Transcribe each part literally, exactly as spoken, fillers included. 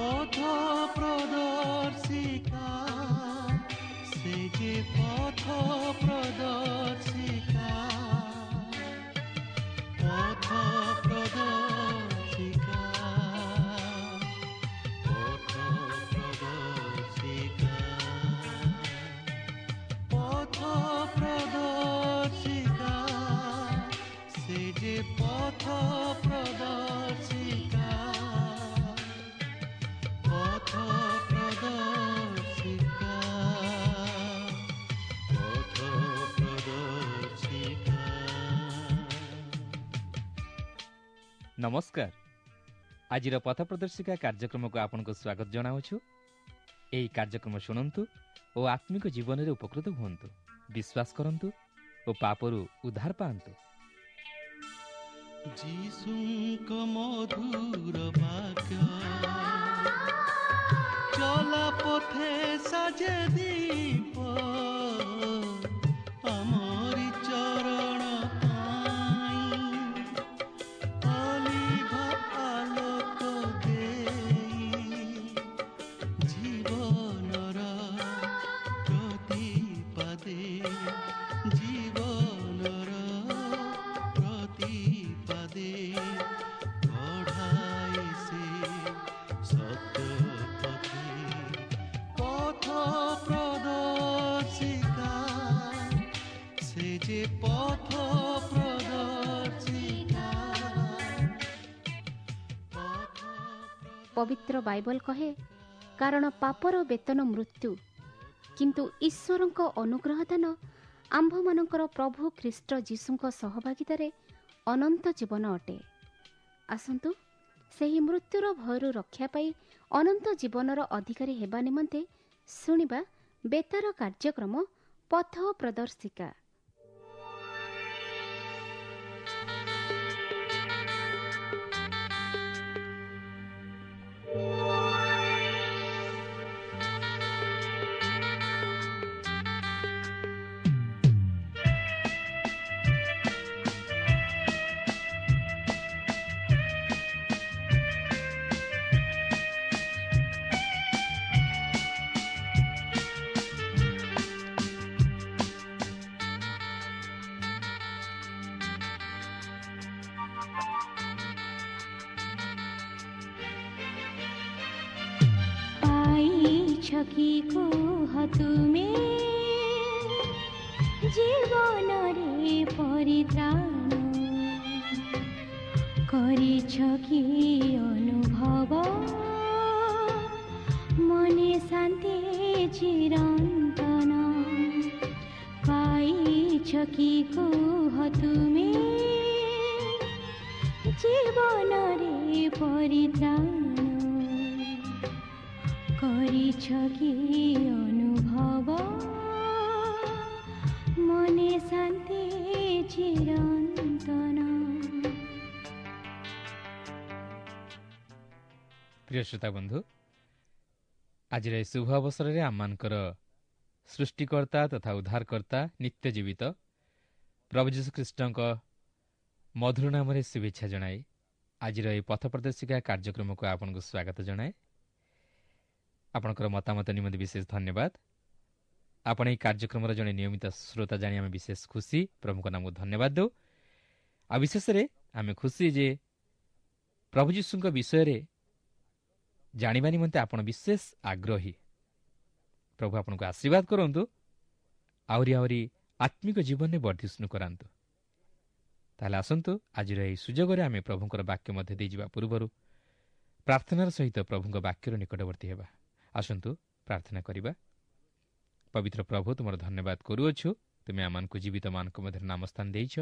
ପଥ ପ୍ରଦର୍ଶିକା, ସେ ଯେ ପଥ ପ୍ରଦର୍ଶିକା, ପଥ ପ୍ରଦର୍ଶିକା, ପଥ ପ୍ରଦର୍ଶିକା, ପଥ ପ୍ରଦର୍ଶିକା, ସେ ଯେ ପଥ ପ୍ରଦର୍ଶିକା, ପଥ ପ୍ରଦର୍ଶିକା, ପଥ ପ୍ରଦର୍ଶିକା। ନମସ୍କାର। ଆଜିର ପଥ ପ୍ରଦର୍ଶିକା କାର୍ଯ୍ୟକ୍ରମକୁ ଆପଣଙ୍କୁ ସ୍ୱାଗତ ଜଣାଉଛୁ। ଏହି କାର୍ଯ୍ୟକ୍ରମ ଶୁଣନ୍ତୁ ଓ ଆତ୍ମିକ ଜୀବନରେ ଉପକୃତ ହୁଅନ୍ତୁ, ବିଶ୍ୱାସ କରନ୍ତୁ ଓ ପାପରୁ ଉଦ୍ଧାର ପାଆନ୍ତୁ। ଯୀଶୁଙ୍କ ମଧୁର ବାକ୍ୟ ଚଲା ପଥେ ସାଜେ ଦୀପ, ଆମରି ଚରଣ ପାଇଁ ଅଲିଭ ଆଲୋକ ଦେଇ, ଜୀବନର ପ୍ରତିପାଦେ, ଜୀବନର ପ୍ରତିପାଦେ କଢ଼ାଏ ସେ ସତ୍ୟ ପଥେ। ପଥ ପ୍ରଦର୍ଶିକା, ସେ ଯେ ପଥ ପ୍ରଦର୍ଶିକା, ପଥ ପବିତ୍ର ବାଇବଲ କହେ, କାରଣ ପାପର ବେତନ ମୃତ୍ୟୁ, କିନ୍ତୁ ଈଶ୍ୱରଙ୍କ ଅନୁଗ୍ରହ ଦାନ ଆମ୍ଭମାନଙ୍କର ପ୍ରଭୁ ଖ୍ରୀଷ୍ଟ ଯୀଶୁଙ୍କ ସହଭାଗିତାରେ ଅନନ୍ତ ଜୀବନ ଅଟେ। ଆସନ୍ତୁ ସେହି ମୃତ୍ୟୁର ଭୟରୁ ରକ୍ଷା ପାଇ ଅନନ୍ତ ଜୀବନର ଅଧିକାରୀ ହେବା ନିମନ୍ତେ ଶୁଣିବା ବେତାର କାର୍ଯ୍ୟକ୍ରମ ପଥ ପ୍ରଦର୍ଶିକା। ପାଇଛ କି କୁହ ତୁମେ ଜୀବନରେ ପରିତ୍ରାଣ, କରିଛ କି ଅନୁଭବ ମନେ ଶାନ୍ତି ଚିରନ୍ତନ? ପାଇଛ କି କୁହ ତୁମେ ଜୀବନରେ ପରିତ୍ରାଣ, କରିଛ କି ଅନୁଭବ ମନେ ଶାନ୍ତି ଚିରନ୍ତନ। ପ୍ରିୟ ଶ୍ରୋତା ବନ୍ଧୁ, ଆଜିର ଏହି ଶୁଭ ଅବସରରେ ଆମମାନଙ୍କର ସୃଷ୍ଟିକର୍ତ୍ତା ତଥା ଉଦ୍ଧାରକର୍ତ୍ତା ନିତ୍ୟ ଜୀବିତ ପ୍ରଭୁ ଯୀଶୁଖ୍ରୀଷ୍ଟଙ୍କ ମଧୁର ନାମରେ ଶୁଭେଚ୍ଛା ଜଣାଇ ଆଜିର ଏହି ପଥ ପ୍ରଦର୍ଶିକା କାର୍ଯ୍ୟକ୍ରମକୁ ଆପଣଙ୍କୁ ସ୍ୱାଗତ ଜଣାଏ। ଆପଣଙ୍କର ମତାମତ ନିମନ୍ତେ ବିଶେଷ ଧନ୍ୟବାଦ। ଆପଣ ଏହି କାର୍ଯ୍ୟକ୍ରମର ଜଣେ ନିୟମିତ ଶ୍ରୋତା ଜାଣି ଆମେ ବିଶେଷ ଖୁସି। ପ୍ରଭୁଙ୍କ ନାମକୁ ଧନ୍ୟବାଦ ଦେଉ। ଆଉ ବିଶେଷରେ ଆମେ ଖୁସି ଯେ ପ୍ରଭୁ ଯୀଶୁଙ୍କ ବିଷୟରେ ଜାଣିବା ନିମନ୍ତେ ଆପଣ ବିଶେଷ ଆଗ୍ରହୀ। ପ୍ରଭୁ ଆପଣଙ୍କୁ ଆଶୀର୍ବାଦ କରନ୍ତୁ, ଆହୁରି ଆହୁରି ଆତ୍ମିକ ଜୀବନରେ ବର୍ଦ୍ଧିଷ୍ଣୁ କରାନ୍ତୁ। ତାହେଲେ ଆସନ୍ତୁ ଆଜିର ଏହି ସୁଯୋଗରେ ଆମେ ପ୍ରଭୁଙ୍କର ବାକ୍ୟ ମଧ୍ୟ ଦେଇଯିବା ପୂର୍ବରୁ ପ୍ରାର୍ଥନାର ସହିତ ପ୍ରଭୁଙ୍କ ବାକ୍ୟର ନିକଟବର୍ତ୍ତୀ ହେବା। ଆସନ୍ତୁ ପ୍ରାର୍ଥନା କରିବା। ପବିତ୍ର ପ୍ରଭୁ, ତୁମର ଧନ୍ୟବାଦ କରୁଅଛୁ। ତୁମେ ଆମମାନଙ୍କୁ ଜୀବିତମାନଙ୍କ ମଧ୍ୟରେ ନାମସ୍ଥାନ ଦେଇଛ,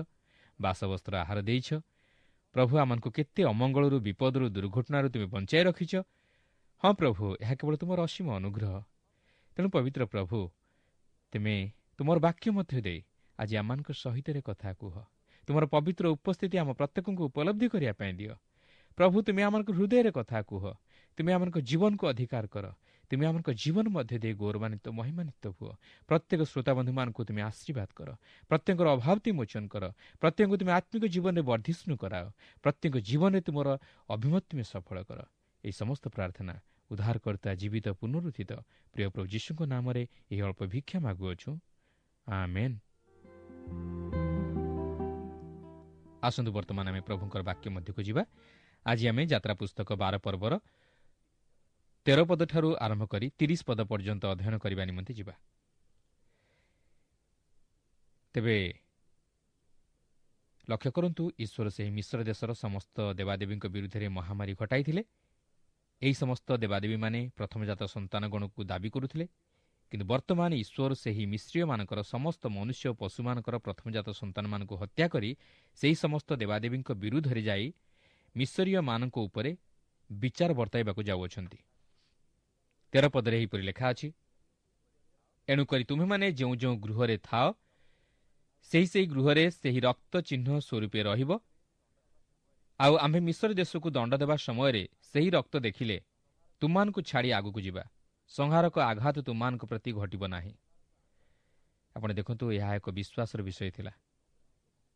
ବାସବସ୍ତ୍ର ଆହାର ଦେଇଛ। ପ୍ରଭୁ, ଆମମାନଙ୍କୁ କେତେ ଅମଙ୍ଗଳରୁ, ବିପଦରୁ, ଦୁର୍ଘଟଣାରୁ ତୁମେ ବଞ୍ଚାଇ ରଖିଛ। ହଁ ପ୍ରଭୁ, ଏହା କେବଳ ତୁମର ଅସୀମ ଅନୁଗ୍ରହ। ତେଣୁ ପବିତ୍ର ପ୍ରଭୁ, ତୁମେ ତୁମର ବାକ୍ୟ ମଧ୍ୟ ଦେଇ ଆଜି ଆମମାନଙ୍କ ସହିତରେ କଥା କୁହ। ତୁମର ପବିତ୍ର ଉପସ୍ଥିତି ଆମ ପ୍ରତ୍ୟେକଙ୍କୁ ଉପଲବ୍ଧି କରିବା ପାଇଁ ଦିଅ। ପ୍ରଭୁ, ତୁମେ ଆମମାନଙ୍କ ହୃଦୟରେ କଥା କୁହ। ତୁମେ ଆମମାନଙ୍କ ଜୀବନକୁ ଅଧିକାର କର। ତୁମେ ଆମମାନଙ୍କ ଜୀବନ ମଧ୍ୟ ଦେଇ ଗୌରବାନ୍ୱିତ ମହିମାନ୍ୱିତ ହୁଅ। ପ୍ରତ୍ୟେକ ଶ୍ରୋତାବନ୍ଧୁମାନଙ୍କୁ ତୁମେ ଆଶୀର୍ବାଦ କର। ପ୍ରତ୍ୟେକଙ୍କର ଅଭାବ ତୁମେ ମୋଚନ କର। ପ୍ରତ୍ୟେକଙ୍କୁ ତୁମେ ଆତ୍ମିକ ଜୀବନରେ ବର୍ଦ୍ଧିଷ୍ଣୁ କରାଅ। ପ୍ରତ୍ୟେକ ଜୀବନରେ ତୁମର ଅଭିମତ ତୁମେ ସଫଳ କର। ଏହି ସମସ୍ତ ପ୍ରାର୍ଥନା ଉଦ୍ଧାରକର୍ତ୍ତା ଜୀବିତ ପୁନରୁତ୍ଥିତ ପ୍ରିୟ ପ୍ରଭୁ ଯୀଶୁଙ୍କ ନାମରେ ଏହି ଅଳ୍ପ ଭିକ୍ଷା ମାଗୁଅଛୁ, ଆମେନ୍। ଆସନ୍ତୁ ବର୍ତ୍ତମାନ ଆମେ ପ୍ରଭୁଙ୍କର ବାକ୍ୟ ମଧ୍ୟକୁ ଯିବା। ଆଜି ଆମେ ଯାତ୍ରା ପୁସ୍ତକ ବାର ପର୍ବର ତେର ପଦଠାରୁ ଆରମ୍ଭ କରି ତିରିଶ ପଦ ପର୍ଯ୍ୟନ୍ତ ଅଧ୍ୟୟନ କରିବା ନିମନ୍ତେ ଯିବା। ତେବେ ଲକ୍ଷ୍ୟ କରନ୍ତୁ, ଈଶ୍ୱର ସେହି ମିଶ୍ର ଦେଶର ସମସ୍ତ ଦେବାଦେବୀଙ୍କ ବିରୁଦ୍ଧରେ ମହାମାରୀ ଘଟାଇଥିଲେ। ଏହି ସମସ୍ତ ଦେବାଦେବୀମାନେ ପ୍ରଥମଜାତ ସନ୍ତାନଗଣକୁ ଦାବି କରୁଥିଲେ, କିନ୍ତୁ ବର୍ତ୍ତମାନ ଈଶ୍ୱର ସେହି ମିଶ୍ରୀୟମାନଙ୍କର ସମସ୍ତ ମନୁଷ୍ୟ ଓ ପଶୁମାନଙ୍କର ପ୍ରଥମଜାତ ସନ୍ତାନମାନଙ୍କୁ ହତ୍ୟା କରି ସେହି ସମସ୍ତ ଦେବାଦେବୀଙ୍କ ବିରୁଦ୍ଧରେ ଯାଇ ମିଶରୀୟମାନଙ୍କ ଉପରେ ବିଚାର ବର୍ତ୍ତାଇବାକୁ ଯାଉଅଛନ୍ତି। ତେର ପଦରେ ଏହିପରି ଲେଖା ଅଛି, ଏଣୁକରି ତୁମେମାନେ ଯେଉଁ ଯେଉଁ ଗୃହରେ ଥାଅ ସେହି ସେହି ଗୃହରେ ସେହି ରକ୍ତ ଚିହ୍ନ ସ୍ୱରୂପେ ରହିବ। ଆଉ ଆମ୍ଭେ ମିଶର ଦେଶକୁ ଦଣ୍ଡ ଦେବା ସମୟରେ ସେହି ରକ୍ତ ଦେଖିଲେ ତୁମମାନଙ୍କୁ ଛାଡ଼ି ଆଗକୁ ଯିବା, ସଂହାରକ ଆଘାତ ତୁମମାନଙ୍କ ପ୍ରତି ଘଟିବ ନାହିଁ। ଆପଣ ଦେଖନ୍ତୁ, ଏହା ଏକ ବିଶ୍ୱାସର ବିଷୟ ଥିଲା।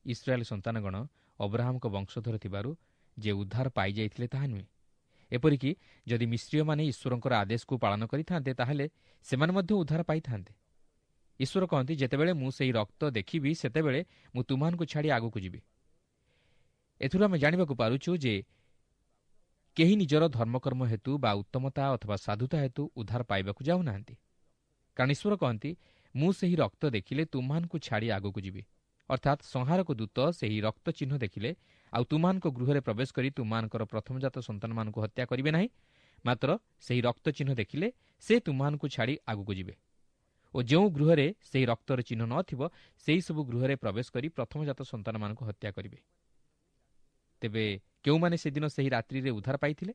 ଇସ୍ରାଏଲ ସନ୍ତାନଗଣ ଅବ୍ରାହମଙ୍କ ବଂଶଧର ଥିବାରୁ ଯେ ଉଦ୍ଧାର ପାଇଯାଇଥିଲେ ତାହା ନୁହେଁ। ଏପରିକି ଯଦି ମିଶ୍ରୀୟମାନେ ଈଶ୍ୱରଙ୍କର ଆଦେଶକୁ ପାଳନ କରିଥାନ୍ତେ ତାହେଲେ ସେମାନେ ମଧ୍ୟ ଉଦ୍ଧାର ପାଇଥାନ୍ତେ। ଈଶ୍ୱର କହନ୍ତି, ଯେତେବେଳେ ମୁଁ ସେହି ରକ୍ତ ଦେଖିବି ସେତେବେଳେ ମୁଁ ତୁମମାନଙ୍କୁ ଛାଡ଼ି ଆଗକୁ ଯିବି। ଏଥିରୁ ଆମେ ଜାଣିବାକୁ ପାରୁଛୁ ଯେ କେହି ନିଜର ଧର୍ମକର୍ମ ହେତୁ ବା ଉତ୍ତମତା ଅଥବା ସାଧୁତା ହେତୁ ଉଦ୍ଧାର ପାଇବାକୁ ଯାଉନାହାନ୍ତି। କାରଣ ଈଶ୍ୱର କହନ୍ତି, ମୁଁ ସେହି ରକ୍ତ ଦେଖିଲେ ତୁମମାନଙ୍କୁ ଛାଡ଼ି ଆଗକୁ ଯିବି। ଅର୍ଥାତ୍ ସଂହାରକ ଦୂତ ସେହି ରକ୍ତ ଚିହ୍ନ ଦେଖିଲେ ଆଉ ତୁମମାନଙ୍କ ଗୃହରେ ପ୍ରବେଶ କରି ତୁମମାନଙ୍କର ପ୍ରଥମଜାତ ସନ୍ତାନମାନଙ୍କୁ ହତ୍ୟା କରିବେ ନାହିଁ, ମାତ୍ର ସେହି ରକ୍ତ ଚିହ୍ନ ଦେଖିଲେ ସେ ତୁମମାନଙ୍କୁ ଛାଡ଼ି ଆଗକୁ ଯିବେ ଓ ଯେଉଁ ଗୃହରେ ସେହି ରକ୍ତର ଚିହ୍ନ ନଥିବ ସେହି ସବୁ ଗୃହରେ ପ୍ରବେଶ କରି ପ୍ରଥମଜାତ ସନ୍ତାନମାନଙ୍କୁ ହତ୍ୟା କରିବେ। ତେବେ କେଉଁମାନେ ସେଦିନ ସେହି ରାତ୍ରିରେ ଉଦ୍ଧାର ପାଇଥିଲେ?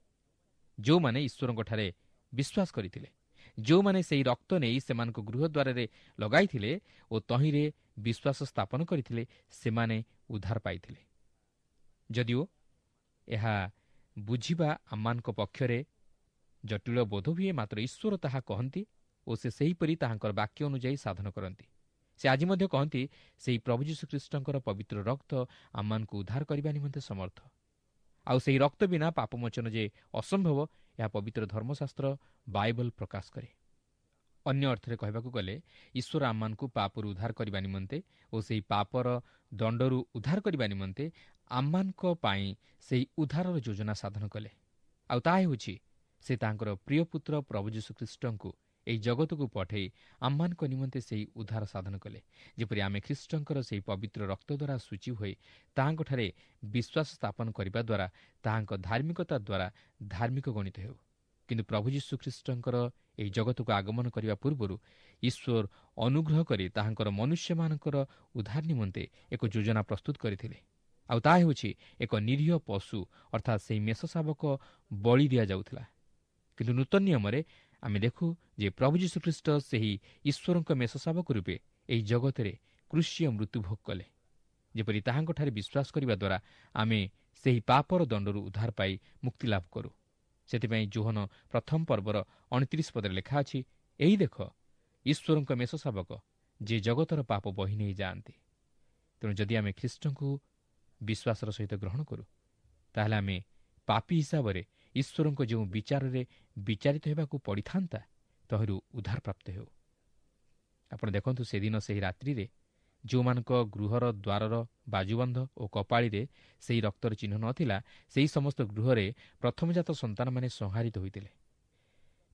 ଯେଉଁମାନେ ଈଶ୍ୱରଙ୍କଠାରେ ବିଶ୍ୱାସ କରିଥିଲେ, ଯେଉଁମାନେ ସେହି ରକ୍ତ ନେଇ ସେମାନଙ୍କ ଗୃହଦ୍ୱାରରେ ଲଗାଇଥିଲେ ଓ ତହିଁରେ ବିଶ୍ୱାସ ସ୍ଥାପନ କରିଥିଲେ, ସେମାନେ ଉଦ୍ଧାର ପାଇଥିଲେ। ଯଦିଓ ଏହା ବୁଝିବା ଆମମାନଙ୍କ ପକ୍ଷରେ ଜଟିଳ ବୋଧ ହୁଏ, ମାତ୍ର ଈଶ୍ୱର ତାହା କହନ୍ତି ଓ ସେ ସେହିପରି ତାହାଙ୍କର ବାକ୍ୟ ଅନୁଯାୟୀ ସାଧନ କରନ୍ତି। ସେ ଆଜି ମଧ୍ୟ କହନ୍ତି, ସେହି ପ୍ରଭୁ ଯୀଶୁଖ୍ରୀଷ୍ଟଙ୍କର ପବିତ୍ର ରକ୍ତ ଆମମାନଙ୍କୁ ଉଦ୍ଧାର କରିବା ନିମନ୍ତେ ସମର୍ଥ। ଆଉ ସେହି ରକ୍ତ ବିନା ପାପମୋଚନ ଯେ ଅସମ୍ଭବ, ଏହା ପବିତ୍ର ଧର୍ମଶାସ୍ତ୍ର ବାଇବଲ ପ୍ରକାଶ କରେ। ଅନ୍ୟ ଅର୍ଥରେ କହିବାକୁ ଗଲେ, ଈଶ୍ୱର ଆମମାନଙ୍କୁ ପାପରୁ ଉଦ୍ଧାର କରିବା ନିମନ୍ତେ ଓ ସେହି ପାପର ଦଣ୍ଡରୁ ଉଦ୍ଧାର କରିବା ନିମନ୍ତେ ଆମମାନଙ୍କ ପାଇଁ ସେହି ଉଦ୍ଧାରର ଯୋଜନା ସାଧନ କଲେ। ଆଉ ତାହା ହେଉଛି, ସେ ତାଙ୍କର ପ୍ରିୟ ପୁତ୍ର ପ୍ରଭୁ ଯୀଶୁଖ୍ରୀଷ୍ଟଙ୍କୁ ଏହି ଜଗତକୁ ପଠାଇ ଆମମାନଙ୍କ ନିମନ୍ତେ ସେହି ଉଦ୍ଧାର ସାଧନ କଲେ, ଯେପରି ଆମେ ଖ୍ରୀଷ୍ଟଙ୍କର ସେହି ପବିତ୍ର ରକ୍ତ ଦ୍ୱାରା ସୂଚୀ ହୋଇ ତାହାଙ୍କଠାରେ ବିଶ୍ୱାସ ସ୍ଥାପନ କରିବା ଦ୍ୱାରା ତାହାଙ୍କ ଧାର୍ମିକତା ଦ୍ୱାରା ଧାର୍ମିକ ଗଣିତ ହେଉ। କିନ୍ତୁ ପ୍ରଭୁ ଯୀଶୁଖ୍ରୀଷ୍ଟଙ୍କର ଏହି ଜଗତକୁ ଆଗମନ କରିବା ପୂର୍ବରୁ ଈଶ୍ୱର ଅନୁଗ୍ରହ କରି ତାହାଙ୍କର ମନୁଷ୍ୟମାନଙ୍କର ଉଦ୍ଧାର ନିମନ୍ତେ ଏକ ଯୋଜନା ପ୍ରସ୍ତୁତ କରିଥିଲେ। ଆଉ ତାହା ହେଉଛି ଏକ ନିରୀହ ପଶୁ, ଅର୍ଥାତ୍ ସେହି ମେଷ ଶାବକ ବଳି ଦିଆଯାଉଥିଲା। କିନ୍ତୁ ନୂତନ ନିୟମରେ ଆମେ ଦେଖୁ ଯେ ପ୍ରଭୁ ଯୀଶୁଖ୍ରୀଷ୍ଟ ସେହି ଈଶ୍ୱରଙ୍କ ମେଷ ଶାବକ ରୂପେ ଏହି ଜଗତରେ କୃଷୀୟ ମୃତ୍ୟୁଭୋଗ କଲେ, ଯେପରି ତାହାଙ୍କଠାରେ ବିଶ୍ୱାସ କରିବା ଦ୍ୱାରା ଆମେ ସେହି ପାପର ଦଣ୍ଡରୁ ଉଦ୍ଧାର ପାଇ ମୁକ୍ତିଲାଭ କରୁ। ସେଥିପାଇଁ ଯୋହନ ପ୍ରଥମ ପର୍ବର ଅଣତିରିଶ ପଦରେ ଲେଖା ଅଛି, ଏହି ଦେଖ ଈଶ୍ୱରଙ୍କ ମେଷ ଶାବକ, ଯିଏ ଜଗତର ପାପ ବହି ନେଇ ଯାଆନ୍ତି। ତେଣୁ ଯଦି ଆମେ ଖ୍ରୀଷ୍ଟଙ୍କୁ ବିଶ୍ୱାସର ସହିତ ଗ୍ରହଣ କରୁ, ତାହେଲେ ଆମେ ପାପୀ ହିସାବରେ ଈଶ୍ୱରଙ୍କ ଯେଉଁ ବିଚାରରେ ବିଚାରିତ ହେବାକୁ ପଡ଼ିଥାନ୍ତା ତହିଁରୁ ଉଦ୍ଧାର ପ୍ରାପ୍ତ ହେଉ। ଆପଣ ଦେଖନ୍ତୁ, ସେଦିନ ସେହି ରାତ୍ରିରେ ଯେଉଁମାନଙ୍କ ଗୃହର ଦ୍ୱାରର ବାଜୁବନ୍ଧ ଓ କପାଳିରେ ସେହି ରକ୍ତର ଚିହ୍ନ ନଥିଲା, ସେହି ସମସ୍ତ ଗୃହରେ ପ୍ରଥମଜାତ ସନ୍ତାନମାନେ ସଂହାରିତ ହୋଇଥିଲେ।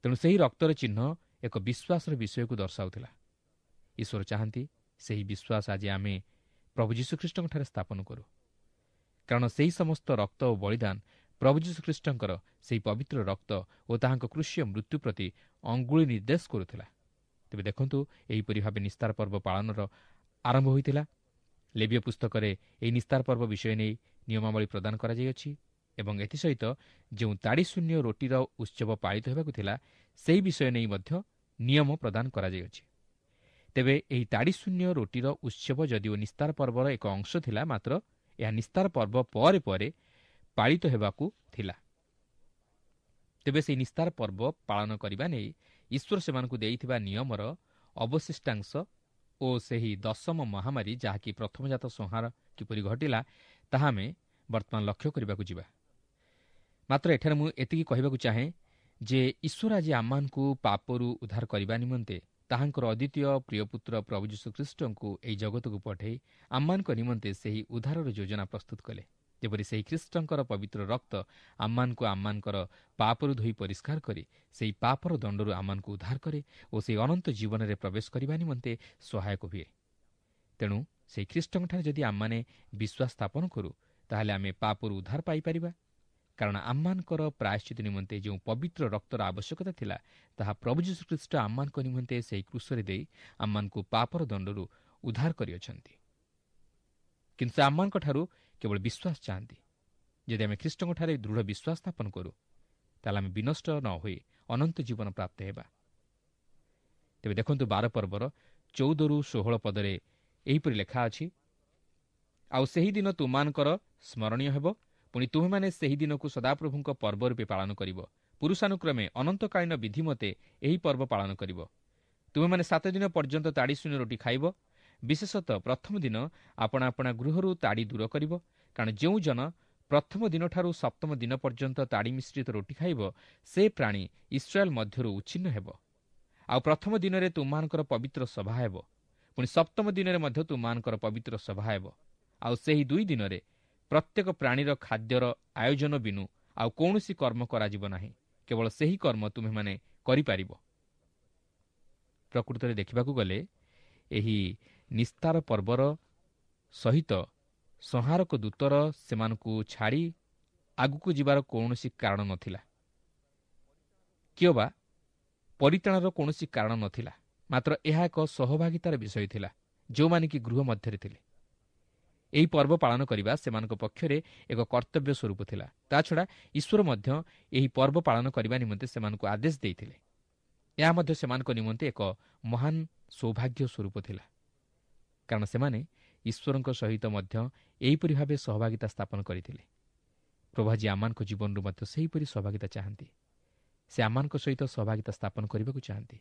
ତେଣୁ ସେହି ରକ୍ତର ଚିହ୍ନ ଏକ ବିଶ୍ୱାସର ବିଷୟକୁ ଦର୍ଶାଉଥିଲା। ଈଶ୍ୱର ଚାହାନ୍ତି ସେହି ବିଶ୍ୱାସ ଆଜି ଆମେ ପ୍ରଭୁ ଯୀଶୁଖ୍ରୀଷ୍ଟଙ୍କଠାରେ ସ୍ଥାପନ କରୁ, କାରଣ ସେହି ସମସ୍ତ ରକ୍ତ ଓ ବଳିଦାନ ପ୍ରଭୁ ଯୀଶୁଖ୍ରୀଷ୍ଟଙ୍କର ସେହି ପବିତ୍ର ରକ୍ତ ଓ ତାହାଙ୍କ କୃଷୀୟ ମୃତ୍ୟୁ ପ୍ରତି ଅଙ୍ଗୁଳି ନିର୍ଦ୍ଦେଶ କରୁଥିଲା। ତେବେ ଦେଖନ୍ତୁ, ଏହିପରି ଭାବେ ନିସ୍ତାର ପର୍ବ ପାଳନର ଆରମ୍ଭ ହୋଇଥିଲା। ଲେବୀୟ ପୁସ୍ତକରେ ଏହି ନିସ୍ତାର ପର୍ବ ବିଷୟ ନେଇ ନିୟମାବଳୀ ପ୍ରଦାନ କରାଯାଇଅଛି ଏବଂ ଏଥିସହିତ ଯେଉଁ ତାଡ଼ିଶୂନ୍ୟ ରୋଟିର ଉତ୍ସବ ପାଳିତ ହେବାକୁ ଥିଲା ସେହି ବିଷୟ ନେଇ ମଧ୍ୟ ନିୟମ ପ୍ରଦାନ କରାଯାଇଅଛି। ତେବେ ଏହି ତାଡ଼ିଶୂନ୍ୟ ରୋଟିର ଉତ୍ସବ ଯଦିଓ ନିସ୍ତାର ପର୍ବର ଏକ ଅଂଶ ଥିଲା, ମାତ୍ର ଏହା ନିସ୍ତାର ପର୍ବ ପରେ ପରେ ପାଳିତ ହେବାକୁ ଥିଲା। ତେବେ ସେହି ନିସ୍ତାର ପର୍ବ ପାଳନ କରିବା ନେଇ ଈଶ୍ୱର ସେମାନଙ୍କୁ ଦେଇଥିବା ନିୟମର ଅବଶିଷ୍ଟାଂଶ ଓ ସେହି ଦଶମ ମହାମାରୀ, ଯାହାକି ପ୍ରଥମଜାତ ସଂହାର କିପରି ଘଟିଲା, ତାହା ଆମେ ବର୍ତ୍ତମାନ ଲକ୍ଷ୍ୟ କରିବାକୁ ଯିବା। ମାତ୍ର ଏଠାରେ ମୁଁ ଏତିକି କହିବାକୁ ଚାହେଁ ଯେ ଈଶ୍ୱର ଆଜି ଆମମାନଙ୍କୁ ପାପରୁ ଉଦ୍ଧାର କରିବା ନିମନ୍ତେ ତାହାଙ୍କର ଅଦ୍ୱିତୀୟ ପ୍ରିୟପୁତ୍ର ପ୍ରଭୁ ଯୀଶୁଖ୍ରୀଷ୍ଟଙ୍କୁ ଏହି ଜଗତକୁ ପଠାଇ ଆମମାନଙ୍କ ନିମନ୍ତେ ସେହି ଉଦ୍ଧାରର ଯୋଜନା ପ୍ରସ୍ତୁତ କଲେ, ଯେପରି ସେହି ଖ୍ରୀଷ୍ଟଙ୍କର ପବିତ୍ର ରକ୍ତ ଆମମାନଙ୍କୁ ଆମମାନଙ୍କର ପାପରୁ ଧୋଇ ପରିଷ୍କାର କରି ସେହି ପାପର ଦଣ୍ଡରୁ ଆମମାନଙ୍କୁ ଉଦ୍ଧାର କରେ ଓ ସେହି ଅନନ୍ତ ଜୀବନରେ ପ୍ରବେଶ କରିବା ନିମନ୍ତେ ସହାୟକ ହୁଏ। ତେଣୁ ସେହି ଖ୍ରୀଷ୍ଟଙ୍କଠାରେ ଯଦି ଆମମାନେ ବିଶ୍ୱାସ ସ୍ଥାପନ କରୁ, ତାହେଲେ ଆମେ ପାପରୁ ଉଦ୍ଧାର ପାଇପାରିବା। କାରଣ ଆମମାନଙ୍କର ପ୍ରାୟଶ୍ଚିତ ନିମନ୍ତେ ଯେଉଁ ପବିତ୍ର ରକ୍ତର ଆବଶ୍ୟକତା ଥିଲା, ତାହା ପ୍ରଭୁ ଯୀଶୁଖ୍ରୀଷ୍ଟ ଆମମାନଙ୍କ ନିମନ୍ତେ ସେହି କ୍ରୁଶରେ ଦେଇ ଆମମାନଙ୍କୁ ପାପର ଦଣ୍ଡରୁ ଉଦ୍ଧାର କରିଅଛନ୍ତି। କିନ୍ତୁ ସେ ଆମମାନଙ୍କଠାରୁ କେବଳ ବିଶ୍ୱାସ ଚାହାନ୍ତି। ଯଦି ଆମେ ଖ୍ରୀଷ୍ଟଙ୍କଠାରେ ଦୃଢ଼ ବିଶ୍ୱାସ ସ୍ଥାପନ କରୁ, ତାହେଲେ ଆମେ ବିନଷ୍ଟ ନ ହୋଇ ଅନନ୍ତ ଜୀବନ ପ୍ରାପ୍ତ ହେବା। ତେବେ ଦେଖନ୍ତୁ, ବାର ପର୍ବର ଚଉଦରୁ ଷୋହଳ ପଦରେ ଏହିପରି ଲେଖା ଅଛି, ଆଉ ସେହି ଦିନ ତୁମମାନଙ୍କର ସ୍ମରଣୀୟ ହେବ, ପୁଣି ତୁମେମାନେ ସେହି ଦିନକୁ ସଦାପ୍ରଭୁଙ୍କ ପର୍ବ ରୂପେ ପାଳନ କରିବ। ପୁରୁଷାନୁକ୍ରମେ ଅନନ୍ତକାଳୀନ ବିଧି ମତେ ଏହି ପର୍ବ ପାଳନ କରିବ। ତୁମେମାନେ ସାତ ଦିନ ପର୍ଯ୍ୟନ୍ତ ତାଡ଼ି ଶୂନ୍ୟ ରୋଟି ଖାଇବ। ବିଶେଷତଃ ପ୍ରଥମ ଦିନ ଆପଣା ଆପଣା ଗୃହରୁ ତାଡ଼ି ଦୂର କରିବ, କାରଣ ଯେଉଁ ଜନ ପ୍ରଥମ ଦିନଠାରୁ ସପ୍ତମ ଦିନ ପର୍ଯ୍ୟନ୍ତ ତାଡ଼ି ମିଶ୍ରିତ ରୋଟି ଖାଇବ, ସେ ପ୍ରାଣୀ ଇସ୍ରାଏଲ ମଧ୍ୟରୁ ଉଚ୍ଛିନ୍ନ ହେବ। ଆଉ ପ୍ରଥମ ଦିନରେ ତୁମମାନଙ୍କର ପବିତ୍ର ସଭା ହେବ, ପୁଣି ସପ୍ତମ ଦିନରେ ମଧ୍ୟ ତୁମମାନଙ୍କର ପବିତ୍ର ସଭା ହେବ। ଆଉ ସେହି ଦୁଇ ଦିନରେ ପ୍ରତ୍ୟେକ ପ୍ରାଣୀର ଖାଦ୍ୟର ଆୟୋଜନ ବିନୁ ଆଉ କୌଣସି କର୍ମ କରାଯିବ ନାହିଁ, କେବଳ ସେହି କର୍ମ ତୁମେମାନେ କରିପାରିବ। ପ୍ରକୃତରେ ଦେଖିବାକୁ ଗଲେ ଏହି ନିସ୍ତାର ପର୍ବର ସହିତ ସଂହାରକ ଦୂତର ସେମାନଙ୍କୁ ଛାଡ଼ି ଆଗକୁ ଯିବାର କୌଣସି କାରଣ ନଥିଲା, କିମ୍ବା ପରିତ୍ରାଣର କୌଣସି କାରଣ ନଥିଲା। ମାତ୍ର ଏହା ଏକ ସହଭାଗିତାର ବିଷୟ ଥିଲା, ଯେଉଁମାନେ କି ଗୃହ ମଧ୍ୟରେ ଥିଲେ। ଏହି ପର୍ବ ପାଳନ କରିବା ସେମାନଙ୍କ ପକ୍ଷରେ ଏକ କର୍ତ୍ତବ୍ୟ ସ୍ୱରୂପ ଥିଲା। ତାଛଡ଼ା ଈଶ୍ୱର ମଧ୍ୟ ଏହି ପର୍ବ ପାଳନ କରିବା ନିମନ୍ତେ ସେମାନଙ୍କୁ ଆଦେଶ ଦେଇଥିଲେ। ଏହା ମଧ୍ୟ ସେମାନଙ୍କ ନିମନ୍ତେ ଏକ ମହାନ ସୌଭାଗ୍ୟ ସ୍ୱରୂପ ଥିଲା, କାରଣ ସେମାନେ ଈଶ୍ୱରଙ୍କ ସହିତ ମଧ୍ୟ ଏହିପରି ଭାବେ ସହଭାଗିତା ସ୍ଥାପନ କରିଥିଲେ। ପ୍ରଭୁ ଆଜି ଆମମାନଙ୍କ ଜୀବନରୁ ମଧ୍ୟ ସେହିପରି ସହଭାଗିତା ଚାହାନ୍ତି। ସେ ଆମମାନଙ୍କ ସହିତ ସହଭାଗିତା ସ୍ଥାପନ କରିବାକୁ ଚାହାନ୍ତି,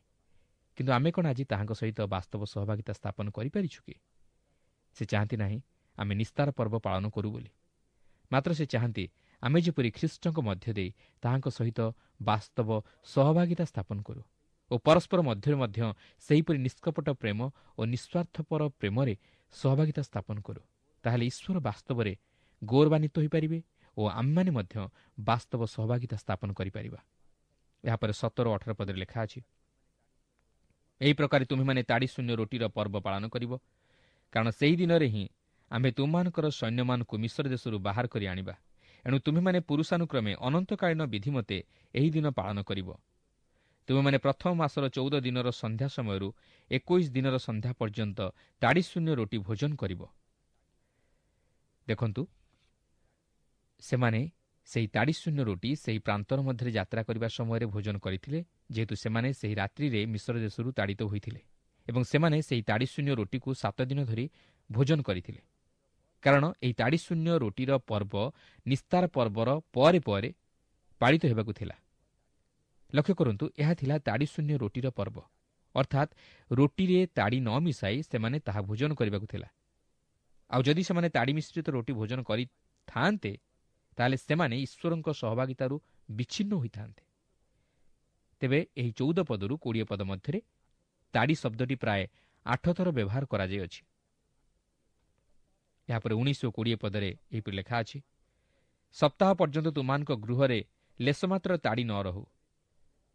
କିନ୍ତୁ ଆମେ କ'ଣ ଆଜି ତାହାଙ୍କ ସହିତ ବାସ୍ତବ ସହଭାଗିତା ସ୍ଥାପନ କରିପାରିଛୁ କି? ସେ ଚାହାନ୍ତି ନାହିଁ ଆମେ ନିସ୍ତାର ପର୍ବ ପାଳନ କରୁ ବୋଲି, ମାତ୍ର ସେ ଚାହାନ୍ତି ଆମେ ଯେପରି ଖ୍ରୀଷ୍ଟଙ୍କ ମଧ୍ୟ ଦେଇ ତାହାଙ୍କ ସହିତ ବାସ୍ତବ ସହଭାଗିତା ସ୍ଥାପନ କରୁ ଓ ପରସ୍ପର ମଧ୍ୟରେ ମଧ୍ୟ ସେହିପରି ନିଷ୍କପଟ ପ୍ରେମ ଓ ନିଃସ୍ୱାର୍ଥପର ପ୍ରେମରେ ସହଭାଗିତା ସ୍ଥାପନ କରୁ। ତାହେଲେ ଈଶ୍ୱର ବାସ୍ତବରେ ଗୌରବାନ୍ୱିତ ହୋଇପାରିବେ ଓ ଆମେମାନେ ମଧ୍ୟ ବାସ୍ତବ ସହଭାଗିତା ସ୍ଥାପନ କରିପାରିବା। ଏହାପରେ ସତର ଅଠର ପଦରେ ଲେଖା ଅଛି, ଏହି ପ୍ରକାରେ ତୁମେମାନେ ତାଡ଼ି ଶୂନ୍ୟ ରୋଟିର ପର୍ବ ପାଳନ କରିବ, କାରଣ ସେହି ଦିନରେ ହିଁ ଆମ୍ଭେ ତୁମମାନଙ୍କର ସୈନ୍ୟମାନଙ୍କୁ ମିଶ୍ର ଦେଶରୁ ବାହାର କରି ଆଣିବା। ଏଣୁ ତୁମେମାନେ ପୁରୁଷାନୁକ୍ରମେ ଅନନ୍ତକାଳୀନ ବିଧିମତେ ଏହି ଦିନ ପାଳନ କରିବ। ତୁମେମାନେ ପ୍ରଥମ ମାସର ଚଉଦ ଦିନର ସନ୍ଧ୍ୟା ସମୟରୁ ଏକୋଇଶ ଦିନର ସନ୍ଧ୍ୟା ପର୍ଯ୍ୟନ୍ତ ତାଡ଼ି ଶୂନ୍ୟ ରୋଟି ଭୋଜନ କରିବ। ଦେଖନ୍ତୁ, ସେମାନେ ସେହି ତାଡ଼ି ଶୂନ୍ୟ ରୋଟି ସେହି ପ୍ରାନ୍ତର ମଧ୍ୟରେ ଯାତ୍ରା କରିବା ସମୟରେ ଭୋଜନ କରିଥିଲେ, ଯେହେତୁ ସେମାନେ ସେହି ରାତ୍ରିରେ ମିଶ୍ର ଦେଶରୁ ତାଡ଼ିତ ହୋଇଥିଲେ ଏବଂ ସେମାନେ ସେହି ତାଡ଼ି ଶୂନ୍ୟ ରୋଟିକୁ ସାତ ଦିନ ଧରି ଭୋଜନ କରିଥିଲେ, କାରଣ ଏହି ତାଡ଼ି ଶୂନ୍ୟ ରୋଟିର ପର୍ବ ନିସ୍ତାର ପର୍ବର ପରେ ପରେ ପାଳିତ ହେବାକୁ ଥିଲା। ଲକ୍ଷ୍ୟ କରନ୍ତୁ, ଏହା ଥିଲା ତାଡ଼ି ଶୂନ୍ୟ ରୋଟିର ପର୍ବ, ଅର୍ଥାତ୍ ରୋଟିରେ ତାଡ଼ି ନ ମିଶାଇ ସେମାନେ ତାହା ଭୋଜନ କରିବାକୁ ଥିଲା। ଆଉ ଯଦି ସେମାନେ ତାଡ଼ି ମିଶ୍ରିତ ରୋଟି ଭୋଜନ କରିଥାନ୍ତେ, ତାହେଲେ ସେମାନେ ଈଶ୍ୱରଙ୍କ ସହଭାଗିତାରୁ ବିଚ୍ଛିନ୍ନ ହୋଇଥାନ୍ତେ। ତେବେ ଏହି ଚଉଦ ପଦରୁ କୋଡ଼ିଏ ପଦ ମଧ୍ୟରେ ତାଡ଼ି ଶବ୍ଦଟି ପ୍ରାୟ ଆଠ ଥର ବ୍ୟବହାର କରାଯାଇଅଛି। ଏହାପରେ ଉଣେଇଶ ଓ କୋଡ଼ିଏ ପଦରେ ଏହିପରି ଲେଖା ଅଛି, ସପ୍ତାହ ପର୍ଯ୍ୟନ୍ତ ତୁମମାନଙ୍କ ଗୃହରେ ଲେଶମାତ୍ର ତାଡ଼ି ନ ରହୁ,